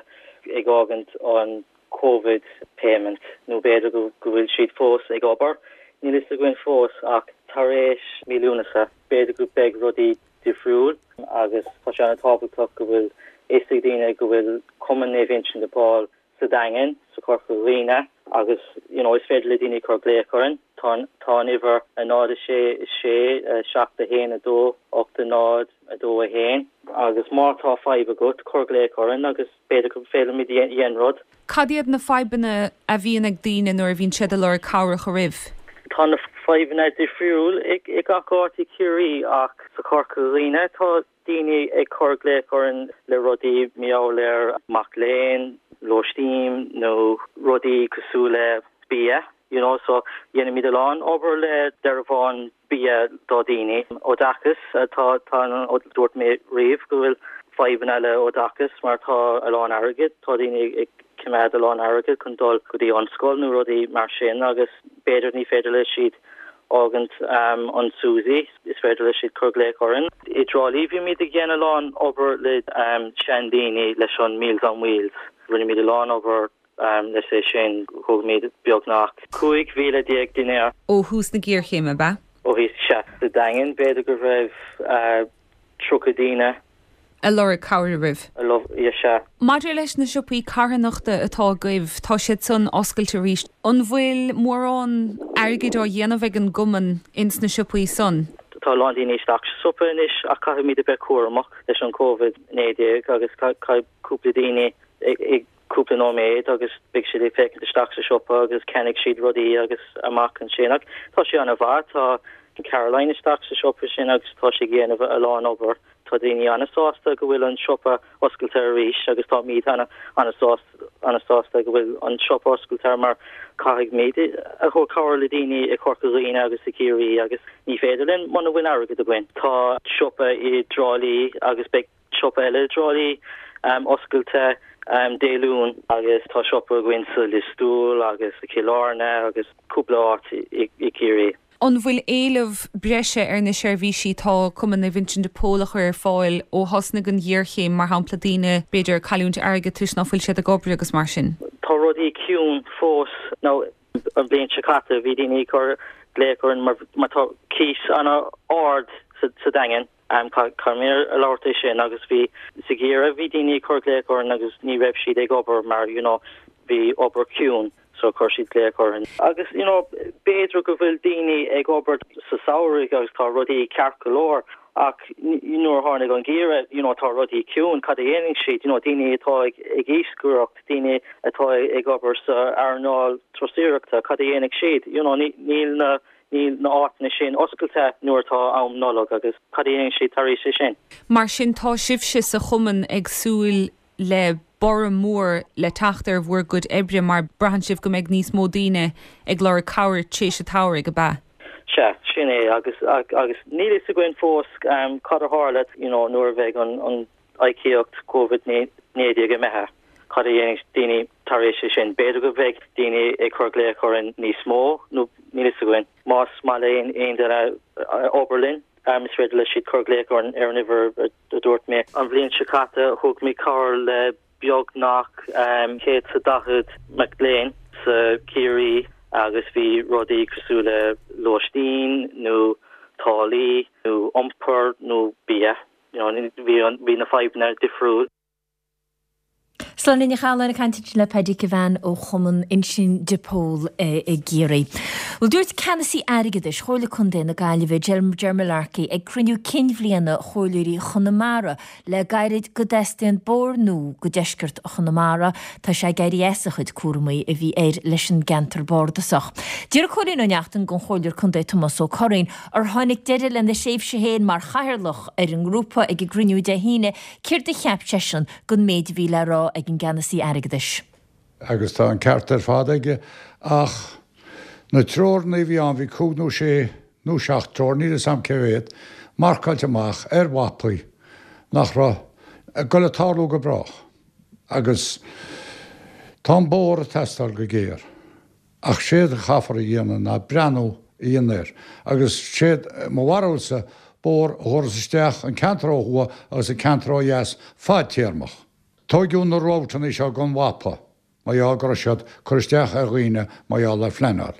ag fhágaint an Covid payment nó b'fhéidir go bhfuil siad fós ag obair, níl fhios againn fós ach tar éis mí Lúnasa b'fhéidir go beidh rudaí difriúil agus tá sé an-tábhachtach go bhfuil fhios ag daoine go bhfuil Cumann Naomh Uinseann de Pól sa Daingean, sa Chorca Dhuibhne agus you know is féidir le daoine cur glaoch orainn. Tá an tá an uimhir 0 6 6 7 1 2 8 0 2 1 agus má tá fadhb agat cuir glaoch orainn agus b'fhéidir go bhféadfaimid dhéan rud. Cad iad na fadhbanna a bhíonn ag daoine nuair a bhíonn siad ag lorg cabhrach oraibh? Tá na fadhbanna difriúil i gach áit i Ciarraí ach sa Chorca Dhuibhne tá daoine ag cur glaoch orainn le rudaí mar gheall ar mac léinn, lóistín nó rudaí cosúil le bia you know so dhéanaimid a lán obair le dearbháin bia do dhaoine. Oideachas, tá, tá, dúirt mé riamh go bhfuil fadhbanna le oideachas mar tá a lán airgid, tá daoine ag coimeád a lán airgid chun dul go dtí an scoil nó rudaí mar sin agus b'fhéidir ní féidir le siad fhágaint an SUSI, is féidir le siad cur glaoch orainn. I dTrá Lí bhímid ag déanamh a lán obair le seandaoine leis an Meals on Wheels, rinne muid a lán obair Leis é sin, thug muid beagnach 15,000 dinnéar. Ó thús na géarchéime, ab ea? Ó thús, sea. Sa Daingean, b'fhéidir go raibh 30 daoine. A lorg cabhair oraibh. A lorg, sea. Maidir leis na siopaí carthanachta atá agaibh, tá siad san oscailte arís. An bhfuil mórán airgid á dhéanamh ag an gcumann ins na siopaí san? Tá a lán daoine isteach sa siopa anois ach caithfimid a bheith cúramach leis an Covid 19 agus caithfidh cúpla daoine ag. cúpla nóiméad agus beidh siad ag féachaint isteach sa siopa agus ceannaigh siad rudaí agus amach ansin. Ach tá sé an-mhaith, tá Caroline isteach sa siopa sin agus tá sí ag dhéanamh a lán obair. Tá daoine an-sásta go bhfuil an siopa oscailte arís agus táimid an-sásta go bhfuil an siopa oscailte mar caithfimid a thabhairt cabhair le daoine i Corca Dhuibhne agus i Ciarraí agus ní féidir linn muna bhfuil airgead againn. Tá siopa i dTrá Lí agus beidh siopa eile i dTrá Lí oscailte Dé Luain agus tá siopa againn sa Lios Tuathail agus i Cill Airne agus cúpla áit i gCiarraí. An bhfuil éileamh breise ar na seirbhísí atá Cumann Naomh Uinseann de Pól a chur ar fáil ó thosnaigh an ghéarchéim, mar shampla daoine b'fhéidir ag cailliúint airgid toisc ná fuil siad ag obair agus mar sin? Tá rudaí ciúin fós. Nó an bhliain seo caite bhí daoine ag cur glaoch orainn mar mar tá cíos an-ard sa Daingean. Caithfidh mé a labhairt é sin agus bhí sa gheimhreadh bhí daoine ag cur glaoch orainn agus ní raibh siad ag obair mar you know bhí obair ciúin. so chuir siad glaoch orainn. Agus you know b'fhéidir go bhfuil daoine ag obair sa samhradh agus tá rudaí ceart go leor ach nuair a tháinig an geimhreadh you know tá rudaí ciúin, cad a dhéanfaidh siad? You know daoine atá ag ag iascaireacht, daoine atá ag obair sa earnáil turasóireachta, cad a dhéanfaidh siad? You know níl na níl na áiteanna sin oscailte nuair atá am Nollag agus cad a dhéanfaidh siad tar éis é sin? Mar sin tá sibhse sa chumann ag súil le borradh mór le teacht ar bhur gcuid oibre mar braitheann sibh go mbeidh níos mó daoine ag lorg cabhair tréis an tsamhraidh, ab ea? Sea, sin é agus agus níl fhios againn fós cad a tharla you know nuair a bheidh an an íocaíocht Covid 19 imithe, cad a dhéanfaidh daoine tar éis é sin. B'fhéidir go mbeidh daoine ag cur glaoch orainn níos mó nó níl fhios againn. Más maith le aon duine obair linn, is féidir le siad cur glaoch orainn ar an uimhir a dúirt mé. An bhliain seo caite thug mé cabhair le beagnach 140 mac léinn sa Chiarraí agus bhí rudaí cosúil le lóistín nó táillí nó iompar nó bia. Bhí na fadhbanna difriúil. Sláine Ní Chathalláin ag caint ansin le Paddy Kevane ó Chumann Uinseann de Pól i gCiarraí. Bhuel, dúirt Ceannasaí Airgeadais Chomhairle Contae na Gaillimhe, Ger Mullarkey, ag cruinniú cinn bhliana Chomhairleoirí Chonamara le gairid go dteastaíonn bóthar nua go deisceart Chonamara. Tá sé ag éirí as a chuid cúramaí a bhí air leis an gceantar bardasach. D'iarr Cóilín Ó Neachtain den Chomhairleoir Contae Tomás Ó Curraoin, ar tháinig deireadh lena thréimhse féin mar chathaoirleach ar an ngrúpa ag an gcruinniú Dé hAoine, Céard a cheap seisean den méid a bhí le rá ag an gceannasaí airgeadais? Agus tá an ceart ar fad aige. Ach na treoranna a bhí ann, bhí cúig nó sé nó seacht treoir, níl 'fhios a'm cé mhéad, marcáilte amach ar mhapaí nach raibh ag goil a tarlú go brách. Agus tá an bóthar ag teastáil go géar. Ach séard a chaithfear a dhéanamh ná breathnú a dhéanamh air. Agus séard mo bharúilsa, bóthar a thabharfas isteach an ceantar ó thuaidh agus an ceantar ó dheas fadtéarmach. Tóigeadh na routeanna seo gan mhapa, mar gheall go raibh siad cur isteach ar dhaoine mar gheall ar phleanáil,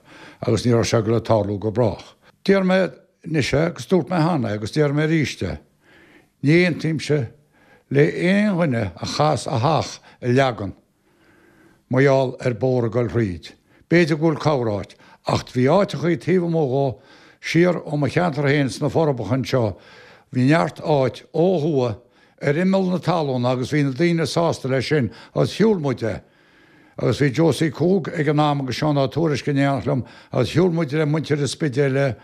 agus ní raibh sé ag goil a tarlú go brách. Deir mé anois é agus dúirt mé cheana é agus déarfaidh mé arís é, ní aontaímse le aon dhuine a chaitheas a theach a leagan Mar gheall ar bóthar ag goil thríd. B'fhéidir go bhfuil corr-áit, ach bhí áiteachaí taobh amuigh dhó, siar ó mo cheantar féin sna Forbacha anseo, bhí neart áit ó thuaidh ar imeall na talún agus bhí na daoine sásta leis sin agus shiúil muid é. Agus bhí Josie Cogue ag an am agus Seán Ó Tuairisg in éineacht liom agus shiúil muid le muintir an Spidéil é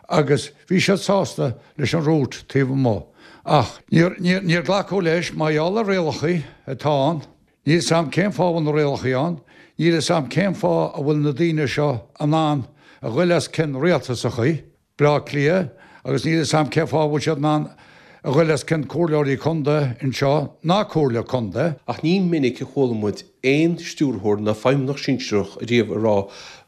agus bhí siad sásta leis an route taobh amuigh. Ach níor, níor, níor glacadh leis mar gheall ar rialachaí atá ann. Níl 'fhios a'm cén fáth a bhfuil na rialachaí ann, níl 'fhios a'm cén fáth a bhfuil na daoine seo in ann a ghoil os cionn rialtasachaí, Bleá Cliath, agus níl 'fhios a'm cén fáth a bhfuil siad in ann a ghoil os cionn comhairleoirí contae anseo ná comhairle contae. Ach ní minic a chuala muid aon stiúrthóir ná feidhmeannach sinsearach ariamh ag rá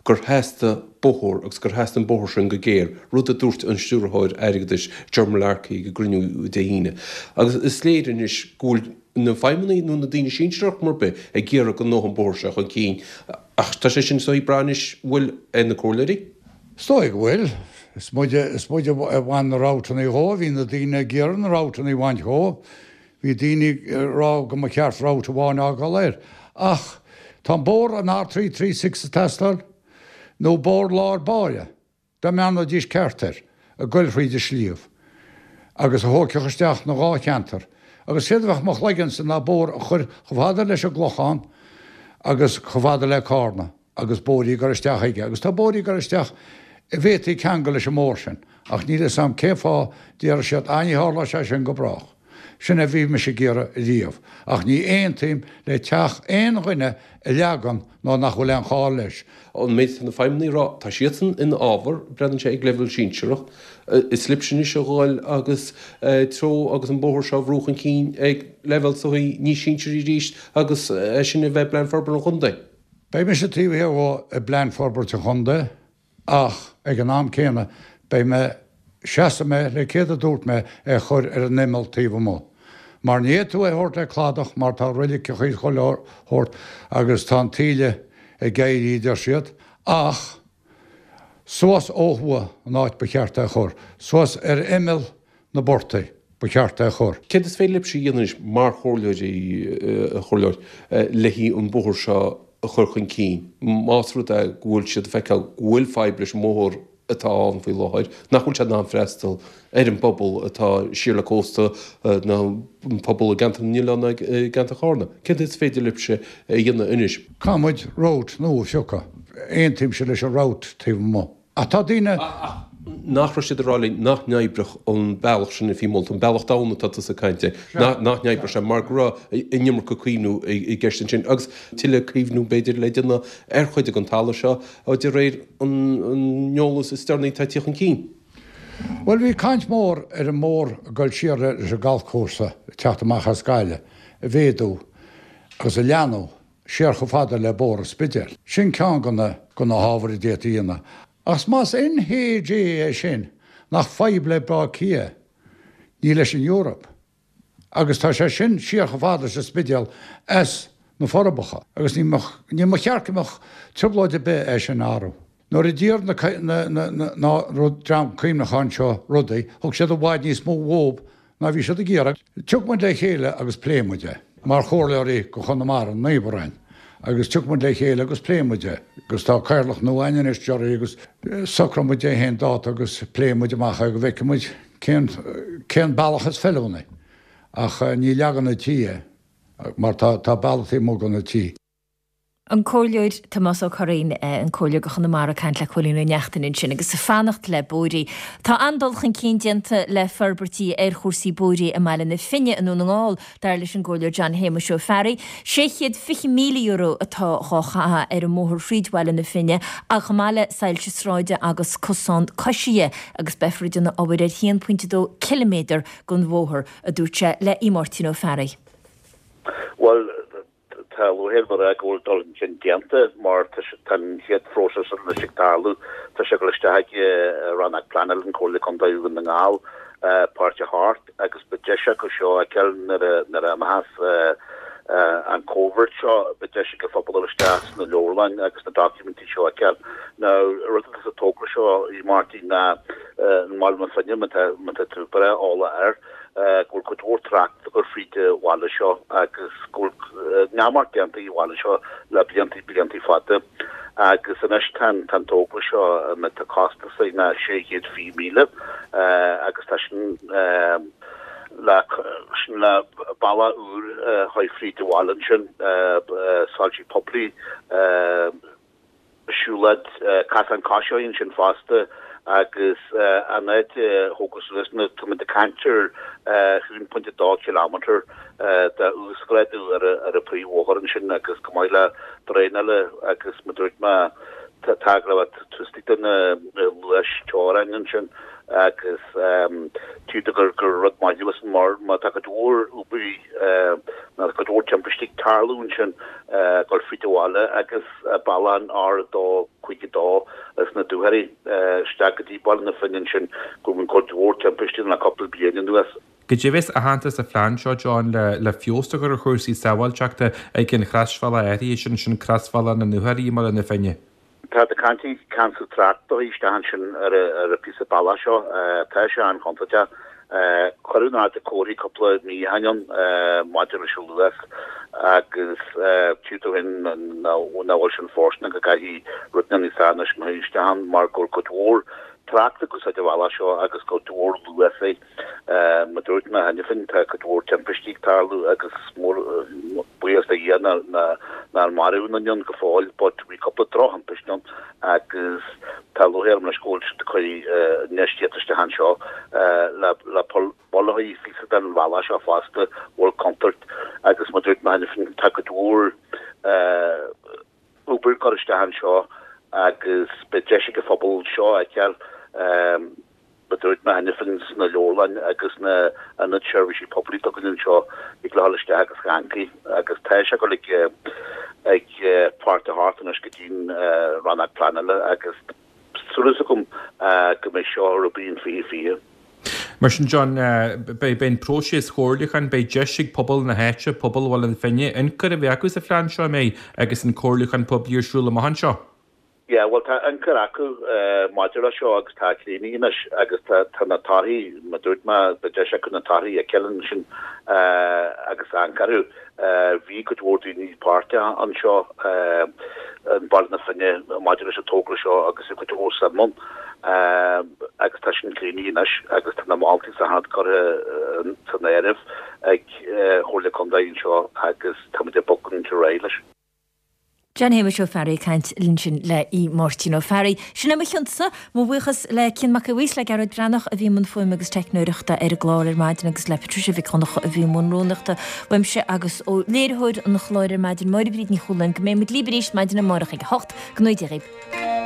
gur theastaigh bóthar agus gur theastaigh an bóthar sin go géar, rud a dúirt an Stiúrthóir Airgeadais Ger Mullarkey ag an gcruinniú Dé hAoine. Agus is léir anois go bhfuil na feidhmeannaigh nó na daoine sinsearach mar bith ag iarraidh go ngabhadh an bóthar seo chun cinn ach tá sé sin is dóigh ag brath anois bhfuil ar na comhairleoirí. Is dóigh go bhfuil. Is muide, is muide a bhain na routeanna dhó, bhí na daoine ag iarraidh na routeanna a bhaint dhó. Bhí daoine ag rá go mba cheart route amháin a fhágáil air. Ach tá an bóthar an R336 ag teastáil nó bóthar lár báire. Dá mbreathnóidís ceart air, ag goil thríd an sliabh, agus a thóigfeadh isteach na dhá cheantar, agus séard a bheadh mo chloigeannsa ná bóthar a chur chomh fada leis an gClochán. agus chomh fada le Cárna agus bóithrí ag dul isteach aige agus tá bóithrí ag dul isteach a bhféadfaí ceangal leis an mbóthar sin ach níl fhios a'm cén fáth déarfaidh siad ah ní tharlóidh sé sin go brách. Sin é a bhí mise ag iarraidh riamh ach ní aontaím le teach aon dhuine a leagan nó nach bhfuil aon chall leis. An méid atá na feidhmeannaigh ag rá, tá siadsan ina fhábhar, breathnaíonn sé ag leibhéal sinsearach. Is libhse anois a dhul agus treo agus an bóthar seo a bhrú chun cinn ag leibhéal sochaí níos sinsearaí arís agus é sin a bheith i bPlean Forbartha an Chontae. Beidh mise taobh thiar dhó i bPlean Forbairt an Chontae ach ag an am céanna beidh mé, seasfaidh mé le céard a dúirt mé, é a chur ar an imeall taobh amuigh. Mar ní fhéadfaidh tú é a thabhairt le cladach mar tá roiliceachaí chuile shórt agus tá an taoille ag éirí a deir siad ach Suas ó thuaidh an áit ba cheart é a chur. Suas ar imeall na bportaigh ba cheart é a chur. Céard is féidir libhse a dhéanamh anois mar chomhairleoirí, a chomhairleoir, le haghaidh an bóthar seo a chur chun cinn, más rud é go bhfuil siad ag feiceáil go bhfuil fadhb leis an mbóthar atá ann faoi láthair, nach bhfuil sé in ann freastal ar an bpobal atá siar le cósta nó an pobal i gceantar na nOileán nó i gceantar Chárna. Céard is féidir libhse a dhéanamh anois? Caithfidh muid route nua a phiocadh. Aontaímse leis an route taobh amuigh. Ach tá daoine. Ach nach raibh siad ag rá linn nach n-oibreodh an bealach sin a bhí molta, an bealach donn atá tusa ag caint air, nach n-oibreodh sé mar go raibh an iomarca caomhnú i gceist ansin agus tuilleadh caomhnú b'fhéidir le déanamh ar chuid den talamh seo de réir an eolas is deireanaí atá ag tíocht chun cinn. Bhuel, bhí caint mhór ar an mbóthar ag dul siar leis an galfchúrsa ag teacht amach as Gaillimh a mhéadú agus a leathnú siar chomh fada le Bóthar an Spidéil. Sin ceann de na de na hábhair a d'fhéadfaí a dhéanamh. Ach más NHA é sin, nach fadhb le Baile Átha Cliath, ní leis an Eoraip. Agus tá sé sin siar chomh fada leis an Spidéal as na Forbacha agus ní ní mba cheart go mbeadh trioblóid ar bith é sin a athrú. Nuair a d'iarr na na na rud dream cuimhneacháin seo rudaí, thug siad i bhfad níos mó dhób ná bhí siad ag iarraidh. Tiocfaidh muid le chéile agus pléifidh muid é, mar chomhairleoirí go Chonamara, an Naomh Orainn, agus tiocfaidh muid le chéile agus pléifidh muid é. Agus tá cathaoirleach nua againn anois, Gerry, agus socróidh muid é féin dáta agus pléifidh muid amach é go bhfeicfidh muid cén cén bealach is feiliúnaí. Ach ní leagan na tí é, mar tá tá bealach taobh amuigh de na tí. An Comhairleoir Tomás Ó Curraoin, an Comhairleoir do Chonamara ag caint le Cóilín Ó Neachtain ansin agus ag fanacht le bóithrí. Tá an-dul chun cinn déanta le forbairtí ar chúrsaí bóithrí i mBaile na Finne i nDún na nGall, dar leis an gComhairleoir John Shéamuis Ó Fearraigh. €620,000 atá dhá chaitheamh ar an mbóthar thríd Bhaile na Finne, ach chomh maith le soilse sráide agus cosán coisithe agus beifear ag déanamh obair ar 1.2 ciliméadar den bhóthar, a dúirt sé le Aodh Máirtín Ó Fearraigh. Bhuel, Tá lúcháir orm a rá go bhfuil dul chun cinn déanta mar tá an chéad phróiseas anois ag tarlú. Tá sé ag dul isteach ag Rannóg Pleanála an Chomhairle Contae Dhún na nGall, Páirc a hOcht agus beidh deis acu seo a fheiceáil nuair a imeochas an Covid seo, beidh deis ag an phobal dul isteach sna leabharlann agus na doiciméidí seo a fheiceáil. Now, rud atá sa togra seo, a Mháirtín, ná i mBaile na Finne, má tá tú breá eolach air, go bhfuil cuid mhór trácht ag dul fríd an bhaile seo agus go bhfuil neamart déanta ag an bhaile seo le blianta blianta fada agus anois tá an tá an togra seo tá costas air ná 620,000 agus tá sin le sin le bealach úr a chur fríd an bhaile ansin soilsí poiblí siúlóid casán coisithe ansin fosta agus an áit a thógadh suas na tá muid ag caint ar 1.2 kilometre de uasghrádú ar an príomhbhóthar ansin agus chomh maith le draenáil agus mar dúirt mé tá go raibh tús de na luas teorainn ansin agus tuigtear gur rud maith é sin mar má tá cuid mhór Uber nó cuid mhór timpistí ag tarlú ansin ag dul fríd an bhaile agus bealach an R252 as na Dúchoraidh isteach go dtí Baile na Finne ansin go bhfuil cuid mhór timpistí le cúpla bliain anuas. Goidé a bheas aitheanta sa phlean seo, John, le feabhas a chur ar chúrsaí sábháilteachta ag an chrosbhealach áirithe sin, sin crosbhealach na nDúchoraidh i mBaile na Finne? Tá ag caint ar ceansú tráchta isteach ansin ar an phíosa bealaigh seo. Tá sé an-chontúirteach. Cuireadh in airde comharthaí cúpla mí ó shin ann maidir leis an luas agus tuigtear dúinn nach bhfuil sin fóirsteanach go gcaithfidh rud níos fearr anois a chur isteach ann mar go bhfuil cuid mhór trácht ag úsáid an bhealaigh seo agus cuid mhór luas é. Mar dúirt mé cheana féin, tá cuid mhór timpistí ag tarlú agus buíochas do Dhia nach. Nár maraíodh aon duine ann go fóill but bhí cúpla drochthimpiste ann agus tá lúcháir orm anois go bhfuil siad ag cur infheistíocht isteach anseo le le poll a shá phíosa den bhealach seo fosta, bhfuil contúirt agus mar a dúirt mé cheana féin tá cuid mhór obair curtha isteach anseo agus beidh deis ag an phobal seo a fheiceáil mar a dúirt mé cheana féin sna leabharlann agus sna ionaid seirbhísí poiblí atá againn anseo thig leo dhul isteach agus amharc agus tá sé ag dul ag ag Páirt 8 anois go dtí'n rannóg pleanála agus súil agam go mbeidh seo ar obair in 2020. Mar sin, John, beidh an próiseas comhairliúcháin, beidh deis ag pobal na háite, pobal Bhaile na Finne, ionchur a bheith acu sa phlean seo, an mbeidh, agus an comhairliúchán poiblí ar siúl amach anseo? Yeah, bhuel tá ionchur acu maidir leis seo agus tá críochnaithe anois agus tá tá na torthaí, mar a dúirt mé, beidh deis acu na torthaí a fheiceáil ansin agus amharc orthu. Bhí cuid mhór daoine páirteach anseo i mBaile na Finne maidir leis an togra seo agus bhí cuid mhór suim ann agus tá sin críochnaithe anois agus tá na moltaí is achan rud curtha san áireamh ag Chomhairle Contae anseo agus táimid ag bogadh ar aghaidh leis. John Shéamuis Ó Fearraigh ag caint linn ansin le Aodh Máirtín Ó Fearraigh. Sin é mo chionsa, mo bhuíochas le Cian Mac Aodha Bhuí is le Gearóid Breathnach a bhí i mbun fuaime agus teicneoireachta ar an gclár ar maidin agus le Patricia Mhic Dhonncha a bhí i mbun rúnaíochta uaimse agus ó léiritheoir an chláir ar maidin, Máire Bríd Ní Chualáin, go mbeidh muid libh arís maidin amárach ag 8. Go ngnóthaí Dia dhaoibh.